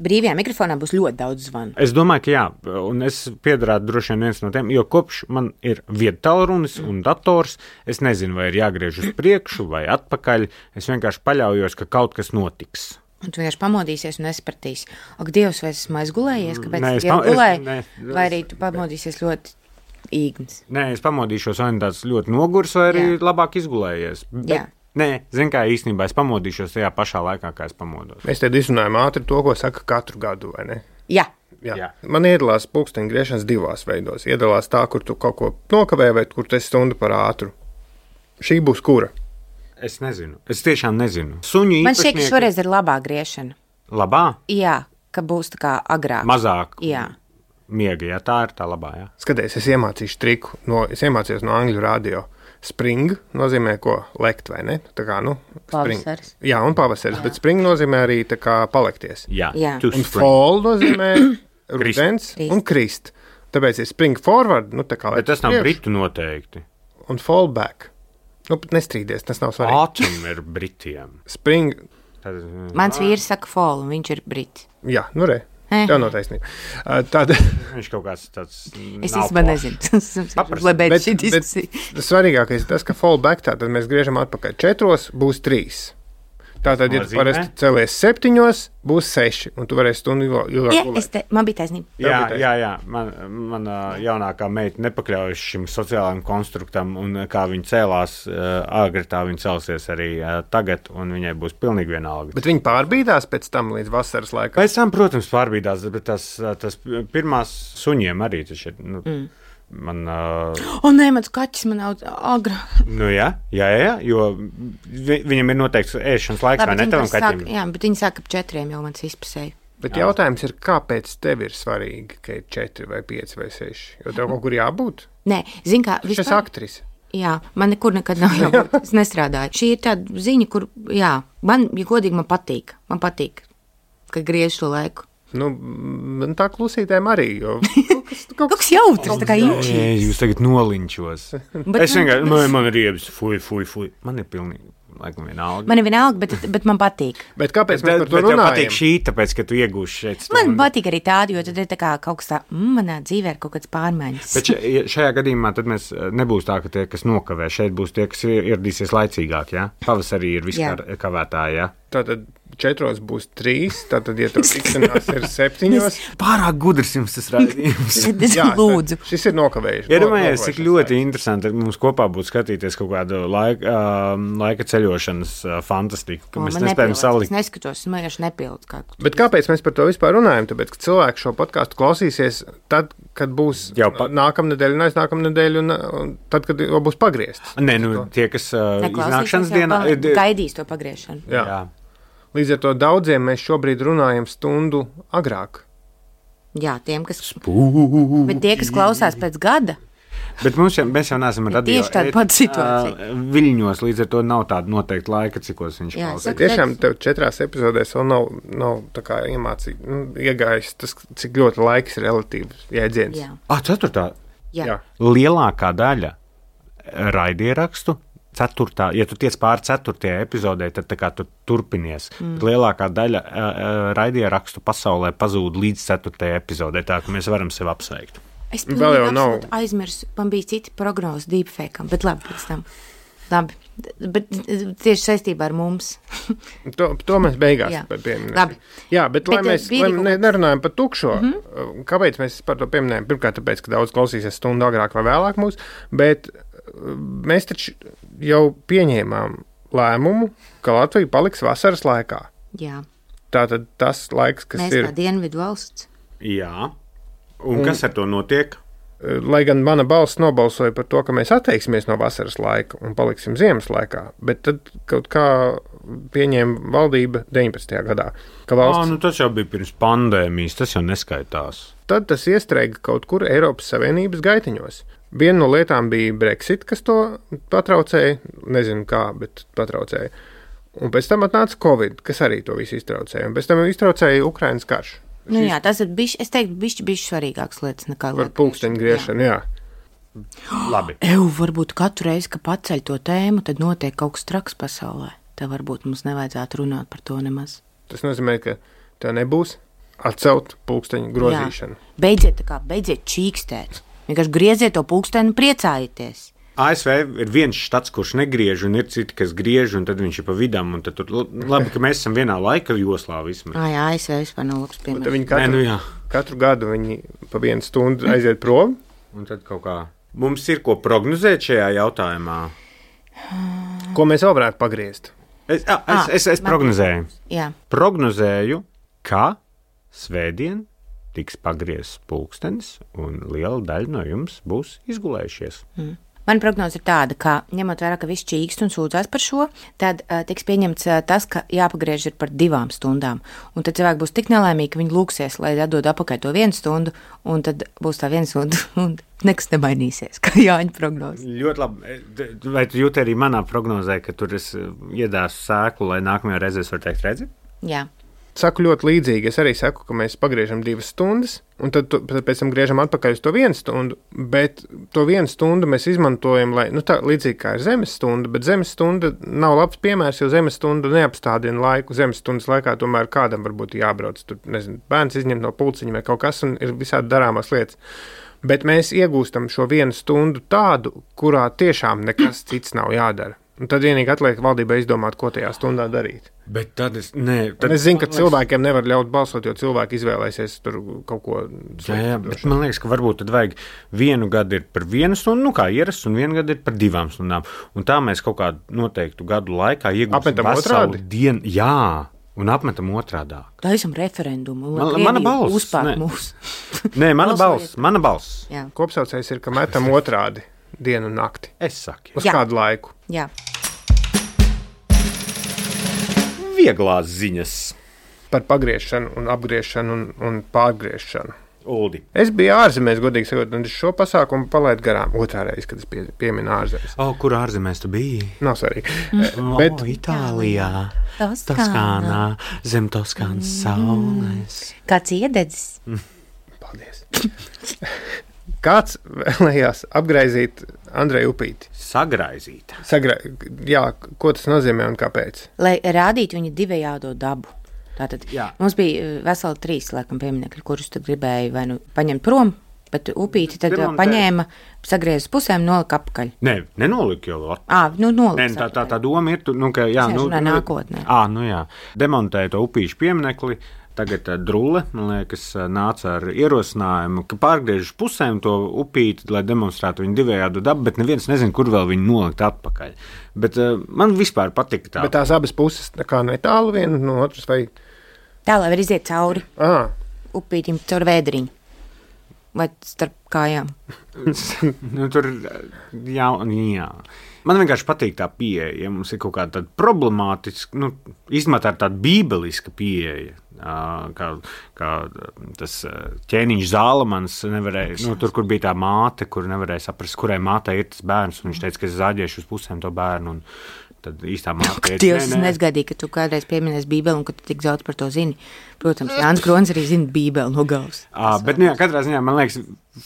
Speaker 2: Brīvajā mikrofonā būs ļoti daudz zvanu.
Speaker 3: Es domāju, ka jā, un es piedarātu droši vien viens no tiem, jo kopš man ir viedtālrunis mm. un dators, es nezinu, vai ir jāgriež uz priekšu vai atpakaļ, es vienkārši paļaujos, ka kaut kas notiks.
Speaker 2: Un tu vienkārši pamodīsies un nesapratīs, ak, Dievs, vai esmu aizgulējies, kāpēc
Speaker 3: Nē,
Speaker 2: es jau gulēju,
Speaker 3: es, ne,
Speaker 2: vai arī tu pamodīsies ļoti īgns.
Speaker 3: Nē, es pamodīšos, vai tāds ļoti nogurs, vai arī jā. labāk izgulējies. Bet, jā. Nē, zin kā īstenībā es pamodīšos tajā pašā laikā, kā es pamodos.
Speaker 1: Mēs te izrunājam ātri to, ko saka katru gadu, vai ne?
Speaker 2: Jā.
Speaker 1: Jā. Jā. Man iedalās pulksteņa griešanas divās veidos. Iedalās tā, kur tu kaut ko nokavē, vai kur tu esi stundu par ātru. Šī būs kura?
Speaker 3: Es nezinu. Es tiešām nezinu. Suņu īpašnieki...
Speaker 2: Man šķiet, ka šoreiz ir labā griešana.
Speaker 3: Labā?
Speaker 2: Jā, ka būs tā kā agrāk.
Speaker 3: Mazāk.
Speaker 2: Jā.
Speaker 3: Miega, jā, tā ir tā labā, jā.
Speaker 1: Skaties, es iemācīšu triku. No, es iemācījos no angļu radio. Spring nozīmē ko lekt, vai ne? Tā kā, nu,
Speaker 2: pavasaris.
Speaker 1: Jā, un pavasaris, bet spring nozīmē arī tā kā palekties.
Speaker 3: Jā.
Speaker 2: Jā.
Speaker 1: Un fall nozīmē rudens un krist. Tāpēc ir spring forward, nu tā kā...
Speaker 3: Bet tas nav britu noteikti.
Speaker 1: Un fall back. Nu, pat nestrīdies, tas nav svarīgi.
Speaker 3: Autumn ir britiem.
Speaker 1: Spring...
Speaker 3: Tad,
Speaker 2: Mans vīrs saka fall, un viņš ir brits.
Speaker 1: Jā, nu re. Tev nav taisnība. Tad...
Speaker 3: Viņš kaut kāds tāds...
Speaker 2: Es īstenībā nezinu. Lai beidz šī diskusija.
Speaker 1: Svarīgākais ir tas, ka fallback, tātad mēs griežam atpakaļ četros, būs trīs. Tātad, ja tu parasti celies septiņos, būs seši, un tu varēsi stundu ilgāk
Speaker 2: ja, gulēt. Te, man bija taisnība.
Speaker 3: Jā, jā, jā. Man, man jaunākā meita nepakļaujas šim sociālajam konstruktam, un kā viņa cēlās agri, tā viņa celsies arī tagad, un viņai būs pilnīgi vienalga.
Speaker 1: Bet viņa pārbīdās pēc tam līdz vasaras laikam?
Speaker 3: Pēc tam, protams, pārbīdās, bet tas, tas pirmās suņiem arī tas ir... Nu, mm. Man, uh...
Speaker 2: O, nē, mans kaķis man nav agrāk.
Speaker 3: Nu jā, jā, jā, jo vi, viņam ir noteikts ēšanas laiks, vai ne tavam kaķim?
Speaker 2: Sāk, jā, bet viņi sāk ap četriem jau mans izpasēja.
Speaker 1: Bet jā. Jautājums ir, kāpēc tev ir svarīgi, ka ir četri vai pieci vai seši? Jo tev kaut kur jābūt?
Speaker 2: Nē, zin kā, vispār...
Speaker 1: Šis aktris.
Speaker 2: Jā, man nekur nekad nav jābūt. Es nestrādāju. Šī ir tāda ziņa, kur, jā, man, ja godīgi, man patīk. Man patīk, ka griež to laiku.
Speaker 1: Nu, man tā klusītēm arī, jo kaut kas,
Speaker 2: kaut kas jautrs, tā kā īņķis.
Speaker 3: Nē, jūs tagad noliņķos. Es vienkārši, man, man ir riebs, fuj, fuj, fuj. Man ir pilnīgi, laikam vienalga.
Speaker 2: Man ir vienalga, bet, bet man patīk.
Speaker 1: Bet kāpēc mēs par to
Speaker 3: bet
Speaker 1: runājam?
Speaker 3: Man patīk šī, tāpēc, ka tu iegūši šeit stundu.
Speaker 2: Man patīk arī tādi, jo tad ir tā kā kaut kas tā, mm, manā dzīvē ir kaut kāds pārmaiņas.
Speaker 3: Bet šajā gadījumā tad mēs nebūs tā, ka tie, kas nokavē, šeit būs tie, kas ieradīsies laicīgāk, jā? Pavasarī ir viskavētāji, jā?
Speaker 1: Tātad četros būs trīs, tātad, ja tur tikšanās ir septiņos.
Speaker 3: Pārāk gudrs jums tas raidījums.
Speaker 2: Jā, lūdzu.
Speaker 1: Šis ir nokavējuši.
Speaker 3: Iedomājies, cik ļoti interesanti mums kopā būtu skatīties kaut kādu laika, uh, laika ceļošanas uh, fantastiku, ka
Speaker 2: O,
Speaker 3: mēs
Speaker 2: man
Speaker 3: nespējam
Speaker 2: nepilds.
Speaker 3: salikt.
Speaker 2: Es neskatos, man vienkārši nepilds. Kā...
Speaker 1: Bet kāpēc mēs par to vispār runājam? Tāpēc, ka cilvēki šo podkāstu klausīsies tad, kad būs
Speaker 3: Jau pa-
Speaker 1: nākamnedēļ un aiznākamnedēļ un, un tad, kad jau būs pagriezts.
Speaker 3: Nē, nu, tie, kas uh, iznākšanas dienā...
Speaker 2: Dienā... Gaidīs to pagriešanu.
Speaker 1: Jā.
Speaker 3: Jā.
Speaker 1: Līdz ar to daudziem mēs šobrīd runājam stundu agrāk.
Speaker 2: Jā, tiem, kas...
Speaker 3: Spū.
Speaker 2: Bet tie, kas klausās pēc gada,
Speaker 3: Bet mums jau, mēs jau neesam
Speaker 2: Ir
Speaker 3: radio.
Speaker 2: tieši tāda pati situācija.
Speaker 3: ā, Viļņos, līdz ar to nav tāda noteikta laika, cikos viņš
Speaker 2: Jā,
Speaker 3: klausās.
Speaker 2: saka,
Speaker 1: Tiešām tev četrās epizodēs vēl nav, nav tā kā iemācīt, nu, iegājis tas, cik ļoti laiks ir relatīvs jēdziens.
Speaker 2: jā,
Speaker 3: Ah, ceturtā.
Speaker 2: jā.
Speaker 1: Jā.
Speaker 3: Lielākā daļa raidierakstu, ceturtā, ja tu tiec pāri ceturtajai epizodē, tad tā kā tu turpinies. Mm. Lielākā daļa uh, uh, raidierakstu pasaulē pazūd līdz ceturtajai epizodē, tā ka mēs varam sevi apsveikt.
Speaker 2: Es
Speaker 1: Vēl
Speaker 2: pilnīgi
Speaker 1: jau nav.
Speaker 2: absolūti aizmirsu, man bija citi prognozi deepfakeam, bet labi pēc tam. Labi, bet tieši saistībā ar mums.
Speaker 1: To, to mēs beigās
Speaker 2: Jā.
Speaker 1: pieminēsim.
Speaker 2: Labi.
Speaker 1: Jā, bet, bet lai
Speaker 2: Bet,
Speaker 1: mēs
Speaker 2: bija
Speaker 1: lai
Speaker 2: kaut
Speaker 1: ne,
Speaker 2: kāds-
Speaker 1: nerunājam par tukšo, mm -hmm. kāpēc mēs par to pieminējam? Pirmkārt, tāpēc, ka daudz klausīsies stundu agrāk vai vēlāk mūs, bet uh, mēs taču jau pieņēmām lēmumu, ka Latvija paliks vasaras laikā.
Speaker 2: Jā,
Speaker 1: Tātad tas laiks, kas
Speaker 2: mēs
Speaker 1: ir,
Speaker 2: kā dienvidu valsts.
Speaker 3: Jā. Un,
Speaker 1: Un-
Speaker 3: kas ar to notiek?
Speaker 1: lai gan mana balss nobalsoja par to, ka mēs atteiksimies no vasaras laika un paliksim ziemas laikā, bet tad kaut kā pieņēma valdība deviņpadsmitajā gadā, ka valsts
Speaker 3: Ah, nu tas jau bija pirms pandēmijas, tas jau neskaitās.
Speaker 1: tad tas iestrēga kaut kur Eiropas Savienības gaitiņos. Viena no lietām bija Brexit, kas to patraucēja, nezinu kā, bet patraucēja. Un pēc tam atnāca Covid, kas arī to visu iztraucēja. Un pēc tam iztraucēja Ukrainas karš.
Speaker 2: Nu jā, tas ir bišķi, es teiktu, bišķi, bišķi svarīgāks lietas nekā
Speaker 1: Par pulksteņu griešanu, jā.
Speaker 3: Labi.
Speaker 2: Eju, varbūt katru reizi, kad paceļ to tēmu, tad notiek kaut kas traks pasaulē. Tad varbūt mums nevajadzētu runāt par to nemaz.
Speaker 1: Tas nozīmē, ka tev nebūs atcelt pulksteņu grozīšanu.
Speaker 2: Jā. Beidziet, tā kā, beidziet čīkstēt. Vienkārši grieziet to pulksteni un priecājieties.
Speaker 3: A S V ir viens štats, kurš negriež, un ir citi, kas griež, un tad viņš ir pa vidam. Un tad tur, labi, ka mēs esam vienā laika joslā vismaz.
Speaker 2: Ā, jā, A S V vispār nav labs
Speaker 1: Tad
Speaker 2: piemērs.
Speaker 1: viņi
Speaker 3: Nē,
Speaker 1: katru,
Speaker 3: nu jā.
Speaker 1: katru gadu viņi pa vienu stundu aiziet prom.
Speaker 3: Un tad kaut kā mums ir ko prognozēt šajā jautājumā.
Speaker 1: Ko mēs vēl varētu pagriezt?
Speaker 3: Es, a, es,
Speaker 2: Ah,
Speaker 3: es, es
Speaker 2: man-
Speaker 3: prognozēju.
Speaker 2: Jā,
Speaker 3: Prognozēju, ka svētdien tiks pagriezts pulkstenis, un liela daļa no jums būs izgulējušies.
Speaker 2: mana prognoze ir tāda, ka ņemot vērā, ka viss čīkst un sūdzās par šo, tad uh, tiks pieņemts uh, tas, ka jāpagriež ir par divām stundām. Un tad cilvēki būs tik nelaimīgi, ka viņi lūksies, lai atdod apakaļ to vienu stundu, un tad būs tā viena stunda, un nekas nemainīsies, kā Jāņa prognoze.
Speaker 3: Ļoti labi. Vai tu jūti arī manā prognozē, ka tur es iedāsu sēklu, lai nākamajā reizē es varu teikt, redzi?
Speaker 2: Jā,
Speaker 1: Saku ļoti līdzīgi. Es arī saku, ka mēs pagriežam divas stundas, un tad, tu- tad pēc tam griežam atpakaļ uz to vienu stundu. Bet to vienu stundu mēs izmantojam, lai, nu, tā līdzīgi kā ir zemes stunda, bet zemes stunda nav labs piemērs, jo zemes stunda neapstādina laiku. Zemes stundas laikā tomēr kādam varbūt jābrauc, tur, nezinu, bērns izņemt no pulciņa vai kaut kas, un ir visādi darāmās lietas. Bet mēs iegūstam šo vienu stundu tādu, kurā tiešām nekas cits nav jādara. Un tad vienīgi atliek valdībai izdomāt, ko tajā stundā darīt.
Speaker 3: Bet tad es. Nē, tad,
Speaker 1: Tad, es zinu, ka cilvēkiem nevar ļaut balsot, jo cilvēki izvēlēsies tur kaut ko
Speaker 3: Jā, jā, bet man liekas, ka varbūt tad vajag vienu gadu ir par vienu stundu, nu kā ierasts, un vienu gadu ir par divām stundām. Un tā mēs kaut kādu noteiktu gadu laikā iegūsim
Speaker 1: Apmetam
Speaker 3: veselu
Speaker 1: otrādi?
Speaker 3: dienu. Jā, un apmetam otrādā.
Speaker 2: taisam referendumu.
Speaker 3: Man- mana balss,
Speaker 2: Uzpār
Speaker 3: ne.
Speaker 2: mūs.
Speaker 3: Nē, mana
Speaker 2: Balsojiet.
Speaker 3: balss, mana balss.
Speaker 2: Jā,
Speaker 1: Kopsaucējs ir, ka metam otrādi dienu un nakti.
Speaker 3: Es saku,
Speaker 1: Uz
Speaker 2: Jā.
Speaker 1: kādu laiku.
Speaker 2: jā.
Speaker 3: vieglās ziņas.
Speaker 1: Par pagriešanu un apgriešanu un, un pārgriešanu.
Speaker 3: Uldi.
Speaker 1: Es biju ārzemēs, godīgi sakot, un šo pasākumu palaidu garām otrā reize, kad es pie, pieminu ārzemēs.
Speaker 3: O, kur ārzemēs tu biji?
Speaker 1: Nav svarīgi.
Speaker 3: Mm. Bet... O, Itālijā, Toskānā, zem Toskānas saules.
Speaker 2: Kāds iededzis?
Speaker 1: Paldies. Kāds vēlējās apgraizīt Andreju Upīti?
Speaker 3: Sagraizīt.
Speaker 1: Sagra... Jā, ko tas nozīmē un kāpēc?
Speaker 2: Lai rādītu viņa divējādo dabu. Tātad Jā. Mums bija veseli trīs, laikam, pieminekļi, kurus tu gribēji vai nu paņemt prom, bet Upīti tad Demontē. Paņēma, sagriez pusēm, nolika apakaļ.
Speaker 3: Nē, ne, nenolika jau.
Speaker 2: Ā, nu nolika.
Speaker 3: Nē, tā, tā, tā doma ir, tu, nu, ka, jā, nu,
Speaker 2: nākotnē.
Speaker 3: Ā, nu jā, demontēja to Upīšu pieminekli, tagad Drule, man liekas, nāca ar ierosinājumu, ka pārgriež pusēm to Upīti, lai demonstrētu viņu divējādu dabu, bet neviens nezin, kur vēl viņu nolikt atpakaļ. Bet uh, man vispār patika tā.
Speaker 1: Bet tās abas puses tā kā netālu viena no otras vai...
Speaker 2: Tā, lai var iziet cauri
Speaker 1: Aha.
Speaker 2: Upītim, caur vēdriņu. Vai starp kājām?
Speaker 3: nu, tur, jā, jā. Man vienkārši patīk tā pieeja, ja mums ir kaut kāda tāda problemātiska, nu, īstenībā tā ir tāda bībeliska pieeja, kā, kā tas ķēniņš Zālamans nevarēja, nu, tur, kur bija tā māte, kur nevarēja saprast, kurai mātei ir tas bērns, un viņš teica, ka es zāģēšu uz pusēm to bērnu, un tad īstā māte teica,
Speaker 2: Dievs, es nesgaidīju, ka tu kādreiz pieminēsi Bībeli un ka tu tik daudz par to zini. Protams, Jānis Krons arī zina Bībeli no galvas.
Speaker 3: À, bet, nu jā, katrā ziņā, man liekas,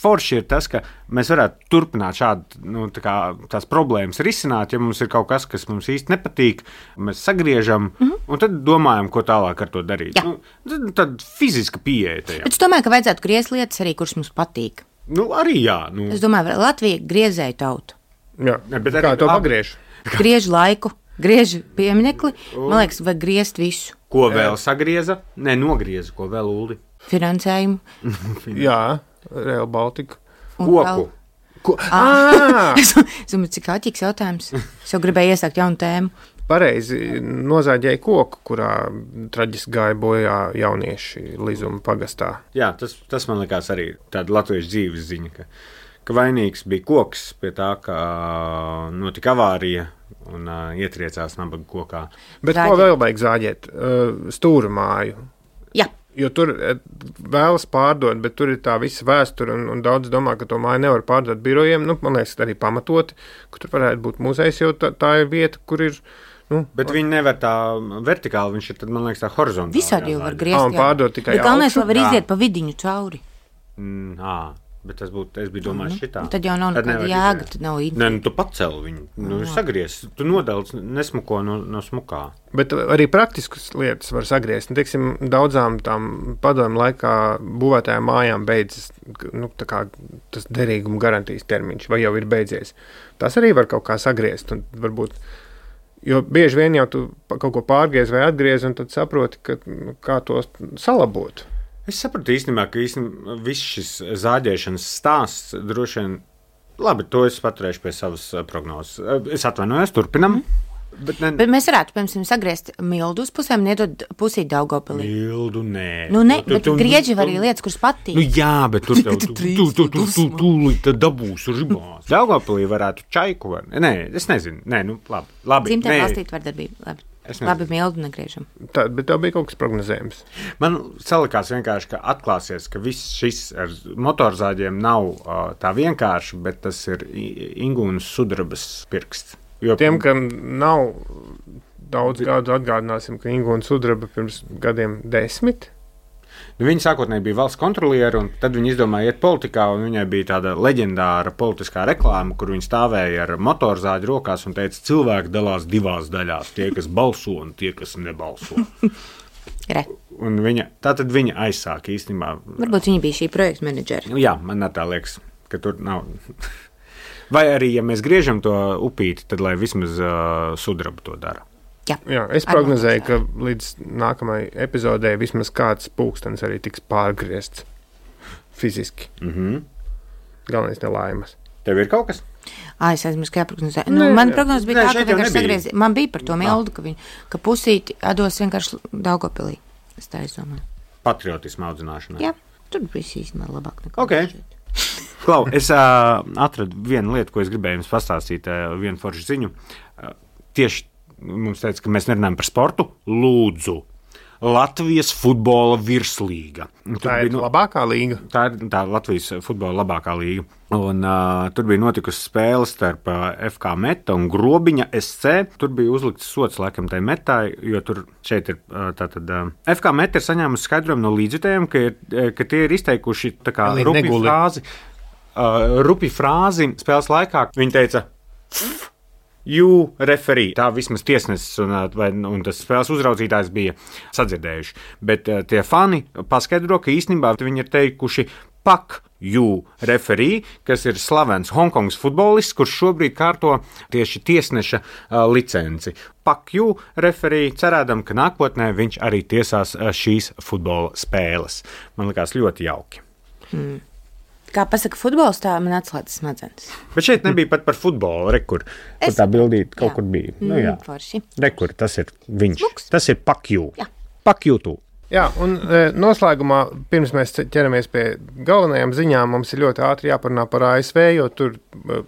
Speaker 3: forši ir tas, ka mēs varētu turpināt šādu, nu, tā kā tās problēmas risināt, ja mums ir kaut kas, kas mums īsti nepatīk, mēs sagriežam, mm-hmm. un tad domājam, ko tālāk ar to darīt. Nu, tad, tad fiziska pieeja tajā.
Speaker 2: Bet es domāju, ka vajadzētu griezt lietas arī, kuras mums patīk.
Speaker 3: Nu, arī jā. Nu.
Speaker 2: Es domāju, Latvija griezēju tautu.
Speaker 1: Jā, ne, bet kā to pagriež?
Speaker 2: Griež laiku, griež pieminekli, man liekas, vajag griezt visu.
Speaker 3: Ko vēl sagrieza? Nē, nogrieza, ko vēl Uldi?
Speaker 2: Finansējumu.
Speaker 1: Jā, Rail Baltica.
Speaker 3: Koku.
Speaker 1: Ko? Ah!
Speaker 2: Es domāju, cik āķīgs jautājums. Es jau gribēju iesākt jaunu tēmu.
Speaker 1: Pareizi nozāģēja koku, kurā traģiski gāja bojā jaunieši Lizuma pagastā.
Speaker 3: Jā, tas, tas man likās arī tāda latviešu dzīves ziņa, ka, ka vainīgs bija koks pie tā, ka notika avārija un uh, ietriecās nabaga kokā.
Speaker 1: Bet Zāģēt. Ko vēl vajag zāģēt? Uh, stūra māju.
Speaker 2: Jā.
Speaker 1: Jo tur vēlas pārdot, bet tur ir tā visa vēsture, un, un daudz domā, ka to māju nevar pārdot birojiem. Nu, man liekas, arī pamatoti, ka tur varētu būt muzejs, jo tā, tā ir vieta, kur ir... Nu,
Speaker 3: bet viņi nevar tā vertikāli, viņš ir, tad, man liekas, tā horizontāli.
Speaker 2: Visādi jau var griezt.
Speaker 1: Ah, un pārdot tikai
Speaker 2: bet galvenais, lai var iziet pa vidiņu cauri.
Speaker 3: Mm, ā, bet tas būtu, es biju domājis šitā.
Speaker 2: Tad jau nav nekāda jēga, tad nav īņa.
Speaker 3: Nē, nu, tu paceli viņu, nu, sagries, tu nodalc nesmuko no, no smukā.
Speaker 1: Bet arī praktiskas lietas var sagriezt. Nu, teiksim, daudzām tām padomu laikā būvētajām mājām beidzas, nu, tā kā tas derīguma garantijas termiņš, vai jau ir beidzies. Tas arī var kaut kā sagriezt, un varbūt... Jo bieži vien jau tu kaut ko pārgriez vai atgriez, un tad saproti, ka, kā to salabot.
Speaker 3: Es sapratu īstenībā, ka īstenībā viss šis zāģēšanas stāsts droši vien, labi, to es paturēšu pie savas prognozes. Es atvainojos, turpinam. Mm. Bet, ne...
Speaker 2: bet mēs varētu, piemēram, sagriezt Mildu uz pusēm, nedod pusīt Daugavpilī.
Speaker 3: Mildu, nē.
Speaker 2: Nu, ne,
Speaker 3: tu,
Speaker 2: bet
Speaker 3: tu,
Speaker 2: grieži
Speaker 3: tu,
Speaker 2: var arī lietas, kuras patīk.
Speaker 3: Nu, jā, bet tur tev, tu, tu, tu, tu, tu, tu, tu dabūs ribās. Daugavpilī varētu čaiku var. Nē, es nezinu. Nē, nu, labi. labi
Speaker 2: Dzimtē valstīt vardarbību. Labi. Labi, Mildu negriežam.
Speaker 1: Tā, bet tev bija kaut kas prognozējums.
Speaker 3: Man salikās vienkārši, ka atklāsies, ka viss šis ar motorzāģiem nav uh, tā vienkārši, bet tas ir Ingūnas sudrabas pirksts. Jo
Speaker 1: tiem, kam nav daudz gadu, atgādināsim, ka Ingūna sudraba pirms gadiem desmit.
Speaker 3: Nu, viņa sākotnēji bija valsts kontrolieri, un tad viņa izdomāja iet politikā, un viņai bija tāda leģendāra politiskā reklāma, kur viņa stāvēja ar motorzāģi rokās un teica, cilvēki dalās divās daļās, tie, kas balso un tie, kas nebalso.
Speaker 2: Re.
Speaker 3: Un viņa, tātad viņa aizsāka īstenībā.
Speaker 2: Varbūt viņa bija šī projekta menedžeri.
Speaker 3: Nu, jā, man tā liekas, ka tur nav... Vai arī, ja mēs griežam to upīti, tad lai vismaz uh, sudraba to dara.
Speaker 2: Jā,
Speaker 1: Jā es prognozēju, ka līdz nākamajai epizodē vismaz kāds pulkstenis arī tiks pārgriezts fiziski.
Speaker 3: Mm-hmm.
Speaker 1: Galvenais nelaimas.
Speaker 3: Tev ir kaut kas?
Speaker 2: Ā, es aizmirsu, kā prognozēju. Nu, man prognoze bija
Speaker 3: Nē,
Speaker 2: tā, ka vienkārši sagriez... Man bija par to Mildu, ka, viņu, ka pusīti atdos vienkārši Daugavpilī. Es tā izdomāju.
Speaker 3: Patriotismu audzināšanai.
Speaker 2: Jā, tur bija īstenībā labāk nekā.
Speaker 3: Okay. Klau, es uh, atradu vienu lietu, ko es gribēju jums pastāstīt, uh, vienu foršu ziņu. Uh, tieši mums teica, ka mēs nerunājam par sportu. Lūdzu, Latvijas futbola virslīga. Tur
Speaker 1: tā ir
Speaker 3: bija,
Speaker 1: labākā līga.
Speaker 3: Tā ir tā Latvijas futbola labākā līga. Un, uh, tur bija notikusi spēle starp uh, F K Meta un Grobiņa S C. Tur bija uzlikts sots laikam tai Metai, jo tur šeit ir uh, tātad. Uh, F K Meta ir saņēmusi skaidrojumu no līdzjutējiem, ka, ir, ka tie ir izteikuši tā kā rupi frāzi, uh, rupi frāzi spēles laikā. Viņi teica You referee. Tā vismaz tiesnesis un, vai, un tas spēles uzraudzītājs bija sadzirdējuši. Bet uh, tie fani paskaidro, ka īstenībā viņi ir teikuši Pak you referee, kas ir slavens Hongkongas futbolists, kurš šobrīd kārto tieši tiesneša uh, licenci. Pak you referee, cerēdam, ka nākotnē viņš arī tiesās uh, šīs futbola spēles. Man likās ļoti jauki.
Speaker 2: Hmm. Kā pasaka futbols, tā man atslēdz smadzenes.
Speaker 3: Bet šeit nebija pat par futbolu, rekur, kur es... tā bildīte kaut jā. Kur bija. Nu, jā,
Speaker 2: forši.
Speaker 3: Rekur, tas ir viņš.
Speaker 2: Luks.
Speaker 3: Tas ir Pak you. Pak you tu.
Speaker 1: Jā, un e, noslēgumā, pirms mēs ķeramies pie galvenajām ziņām, mums ir ļoti ātri jāparunā par A S V, jo tur e,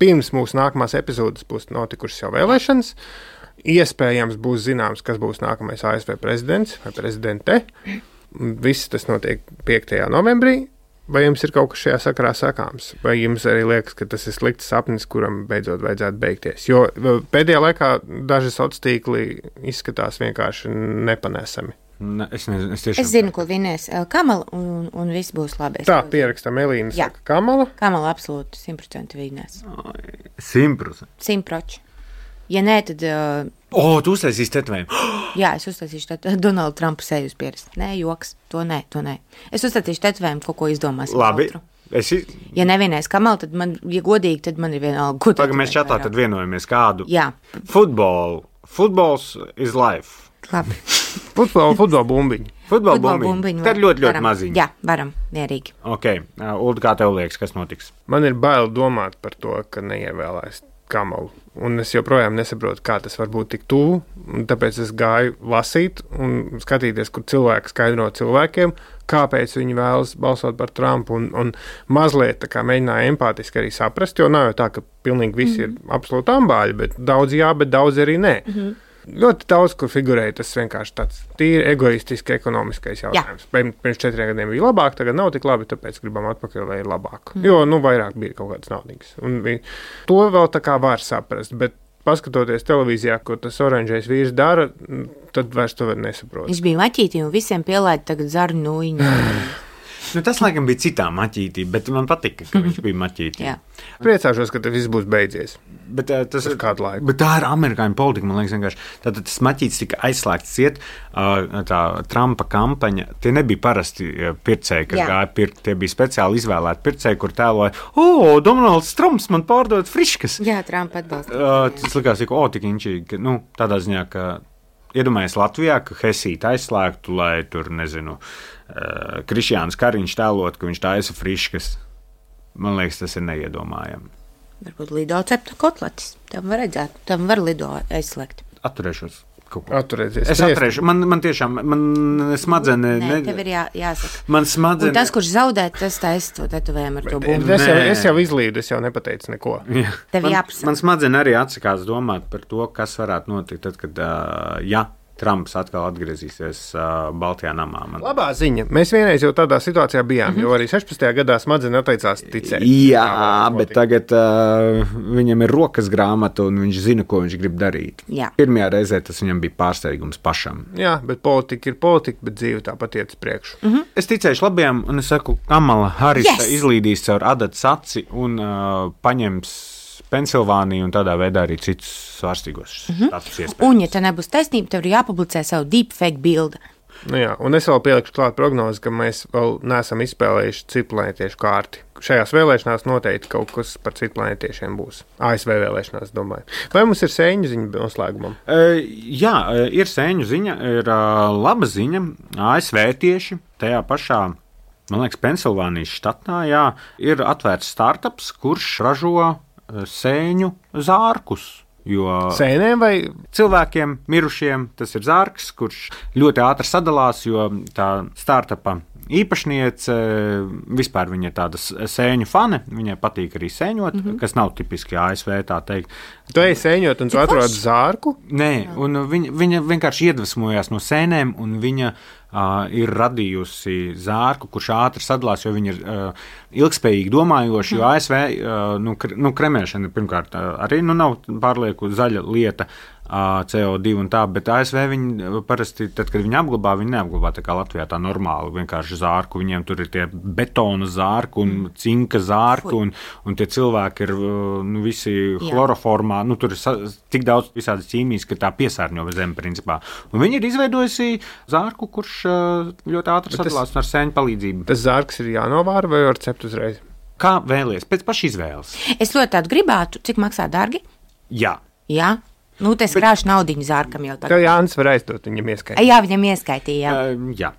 Speaker 1: pirms mūsu nākamās epizodes būs notikušas jau vēlēšanas. Iespējams būs zināms, kas būs nākamais A S V prezidents vai prezidente. Viss tas notiek piektajā novembrī. Vai jums ir kaut kas šajā sakarā sakāms? Vai jums arī liekas, ka tas ir slikts sapnis, kuram beidzot vajadzētu beigties? Jo pēdējā laikā daži sociālie tīkli izskatās vienkārši nepanesami.
Speaker 3: Ne, es, nezinu, es, tiešām...
Speaker 2: es zinu, ko vinēs Kamala, un, un viss būs labi.
Speaker 1: Tā, pierakstam Elīna, saka Kamala.
Speaker 2: Kamala absolūti simt procenti vinēs.
Speaker 3: simt procenti?
Speaker 2: simt procenti. Ja nē, tad... Uh,
Speaker 3: o, tu uztaisīsi tetovējumu.
Speaker 2: Jā, es uztaisīšu tetovējumu. Donaldu Trumpu seju uz pierast. Nē, joks. To nē, to nē. Es uztaisīšu tetovējumu, ko, ko izdomāsim.
Speaker 3: Labi. Es...
Speaker 2: Ja nevienais Kamala, tad man, ja godīgi, tad man ir vienalga. Ko
Speaker 3: Tagad mēs čatā tad vienojamies kādu.
Speaker 2: Jā.
Speaker 3: Futbolu. Futbols is life.
Speaker 2: Labi.
Speaker 1: Futbola, futbola bumbiņi.
Speaker 3: Futbola bumbiņi. bumbiņi. Tad ļoti, ļoti
Speaker 2: varam.
Speaker 3: maziņi.
Speaker 2: Jā, varam, mierīgi.
Speaker 3: Ok. Uh, Ulda, kā tev liekas, kas notiks?
Speaker 1: Man ir bail domāt par to, ka neievēlēs Kamalu. Un es joprojām nesaprotu, kā tas var būt tik tuvu. Tāpēc es gāju lasīt un skatīties, kur cilvēki skaidro cilvēkiem, kāpēc viņi vēlas balsot par Trumpu. Un, un mazliet tā kā mēģināju empātiski arī saprast, jo nav jau tā, ka pilnīgi visi mm-hmm. ir absolūti ambāļi, bet daudz jā, bet daudz arī nē. Mm-hmm. Ļoti daudz, kur figurēja tas vienkārši tāds tīri egoistiski ekonomiskais jautājums. Jā. Pirms četriem gadiem bija labāk, tagad nav tik labi, tāpēc gribam atpakaļ, lai ir labāk. Mm. Jo, nu, vairāk bija kaut kādas naudīgas. Un vi, to vēl tā kā var saprast, bet paskatoties televīzijā, ko tas oranžais vīrs dara, tad vairs to var nesaprot.
Speaker 2: Viņš bija maķītī un visiem pielaida tagad zaru nūjiņu.
Speaker 3: Nu, tas, laikam, bija citā maķītī, bet man patika, ka viņš bija maķītī.
Speaker 1: Priecāšos, ka tas viss būs beidzies.
Speaker 3: Bet, uh, tas,
Speaker 1: Uz kādu laiku.
Speaker 3: Bet tā ir amerikāņu politika, man liekas, vienkārši. Tātad tas maķītis tika aizslēgts ciet, uh, tā Trumpa kampaņa. Tie nebija parasti pircēji, kas Jā. Gāja pirkt. Tie bija speciāli izvēlēti pircēji, kur tēloja, o, Donalds Trumps man pārdod friškas.
Speaker 2: Jā, Trumpa atbalsta.
Speaker 3: Uh, tas likās, ka, o, tik inčīgi, nu, tādā ziņā, ka iedomājies Latvijā, ka Hesīti aizslēgtu, lai tur, nezinu, uh, Krišjāns Kariņš tēlot, ka viņš taisa friškas. Man liekas, tas ir neiedomājami.
Speaker 2: Varbūt lido cepta kotletes. Tam var redzēt, tam var lido aizslēgt.
Speaker 3: Atturēšos.
Speaker 1: Atturēties.
Speaker 3: Es atturēšu. Man, man tiešām, man smadzenes.
Speaker 2: Nē, ne... tev ir jā, jāsaka.
Speaker 3: Man smadzenes.
Speaker 2: Un tas, kurš zaudē, tas taisa to tetovējumu ar to bumbu.
Speaker 1: Es jau, es jau izlīdu, es jau nepateicu neko.
Speaker 3: Jā.
Speaker 2: Tev
Speaker 3: man,
Speaker 2: jāpasaka.
Speaker 3: Man smadzenes arī atsakās domāt par to, kas varētu notikt tad, kad, uh, ja Trumps atkal atgriezīsies uh, Baltijā namā. Man...
Speaker 1: Labā ziņa. Mēs vienreiz jau tādā situācijā bijām, mm-hmm. jo arī sešpadsmitajā gadā smadzenes atteicās ticēt.
Speaker 3: Jā, bet tagad uh, viņam ir rokas grāmata un viņš zina, ko viņš grib darīt.
Speaker 2: Jā.
Speaker 3: Pirmajā reizē tas viņam bija pārsteigums pašam.
Speaker 1: Jā, bet politika ir politika, bet dzīve tāpat iet uz priekšu.
Speaker 3: Mm-hmm. Es ticēšu labajam, un es saku, Kamala Harris yes! izlīdīs caur adatas aci un uh, paņems Pensilvāniju un tādā veidā arī citus svārstīgos
Speaker 2: mm-hmm.
Speaker 3: status iespējas.
Speaker 2: Un, ja te nebūs taisnība, tev ir jāpublicē savu deepfake bildi.
Speaker 1: Nu jā, un es vēl pielikšu klāt prognozi, ka mēs vēl neesam izspēlējuši citplanētiešu kārti. Šajās vēlēšanās noteikti kaut kas par citplanētiešiem būs. A S V vēlēšanās, domāju. Vai mums ir sēņu ziņa noslēgumam?
Speaker 3: Uh, jā, ir sēņu ziņa, ir uh, laba ziņa. A S V tieši tajā pašā, man liekas, Pensilvānijas štatā, jā, ir atvērts startups, kurš ražo sēņu zārkus. Jo
Speaker 1: sēnēm vai
Speaker 3: cilvēkiem, mirušiem, tas ir zārks, kurš ļoti ātri sadalās, jo tā startupa īpašniece, vispār viņa ir tāda sēņu fane, viņai patīk arī sēņot, mm-hmm. kas nav tipiski A S V, tā teikt.
Speaker 1: Tu ej sēņot un tu atrod zārku?
Speaker 3: Nē, un viņa, viņa vienkārši iedvesmojās no sēnēm, un viņa uh, ir radījusi zārku, kurš ātri sadalās, jo viņa ir uh, ilgspējīgi domājoši, jo A S V uh, nu, kr- nu, kremēšana pirmkārt uh, arī nu, nav pārlieku zaļa lieta, C O divi un tā, bet A S V viņi parasti, tad, kad viņi apglabā, viņi neapglabā tā kā Latvijā tā normāli, vienkārši zārku, viņiem tur ir tie betona zārku un cinka zārku, un, un tie cilvēki ir nu, visi chloroformā, nu tur ir tik daudz visādas ķīmijas, ka tā piesārņo zemi principā. Un viņi ir izveidojusi zārku, kurš ļoti ātri sadalās ar sēņu palīdzību.
Speaker 1: Tas zārks ir jānovāra vai var cept uzreiz?
Speaker 3: Kā vēlies, pēc paša izvēles.
Speaker 2: Es ļoti tādu gribētu, cik maksā dārgi?
Speaker 3: Jā.
Speaker 2: Jā. Nu, tas krāšu naudiņu zārkam jau tagad.
Speaker 1: Tev Jānis var aizdot, viņam ieskaitīja.
Speaker 2: Jā, viņam ieskaitīja, jā.
Speaker 3: Uh, jā.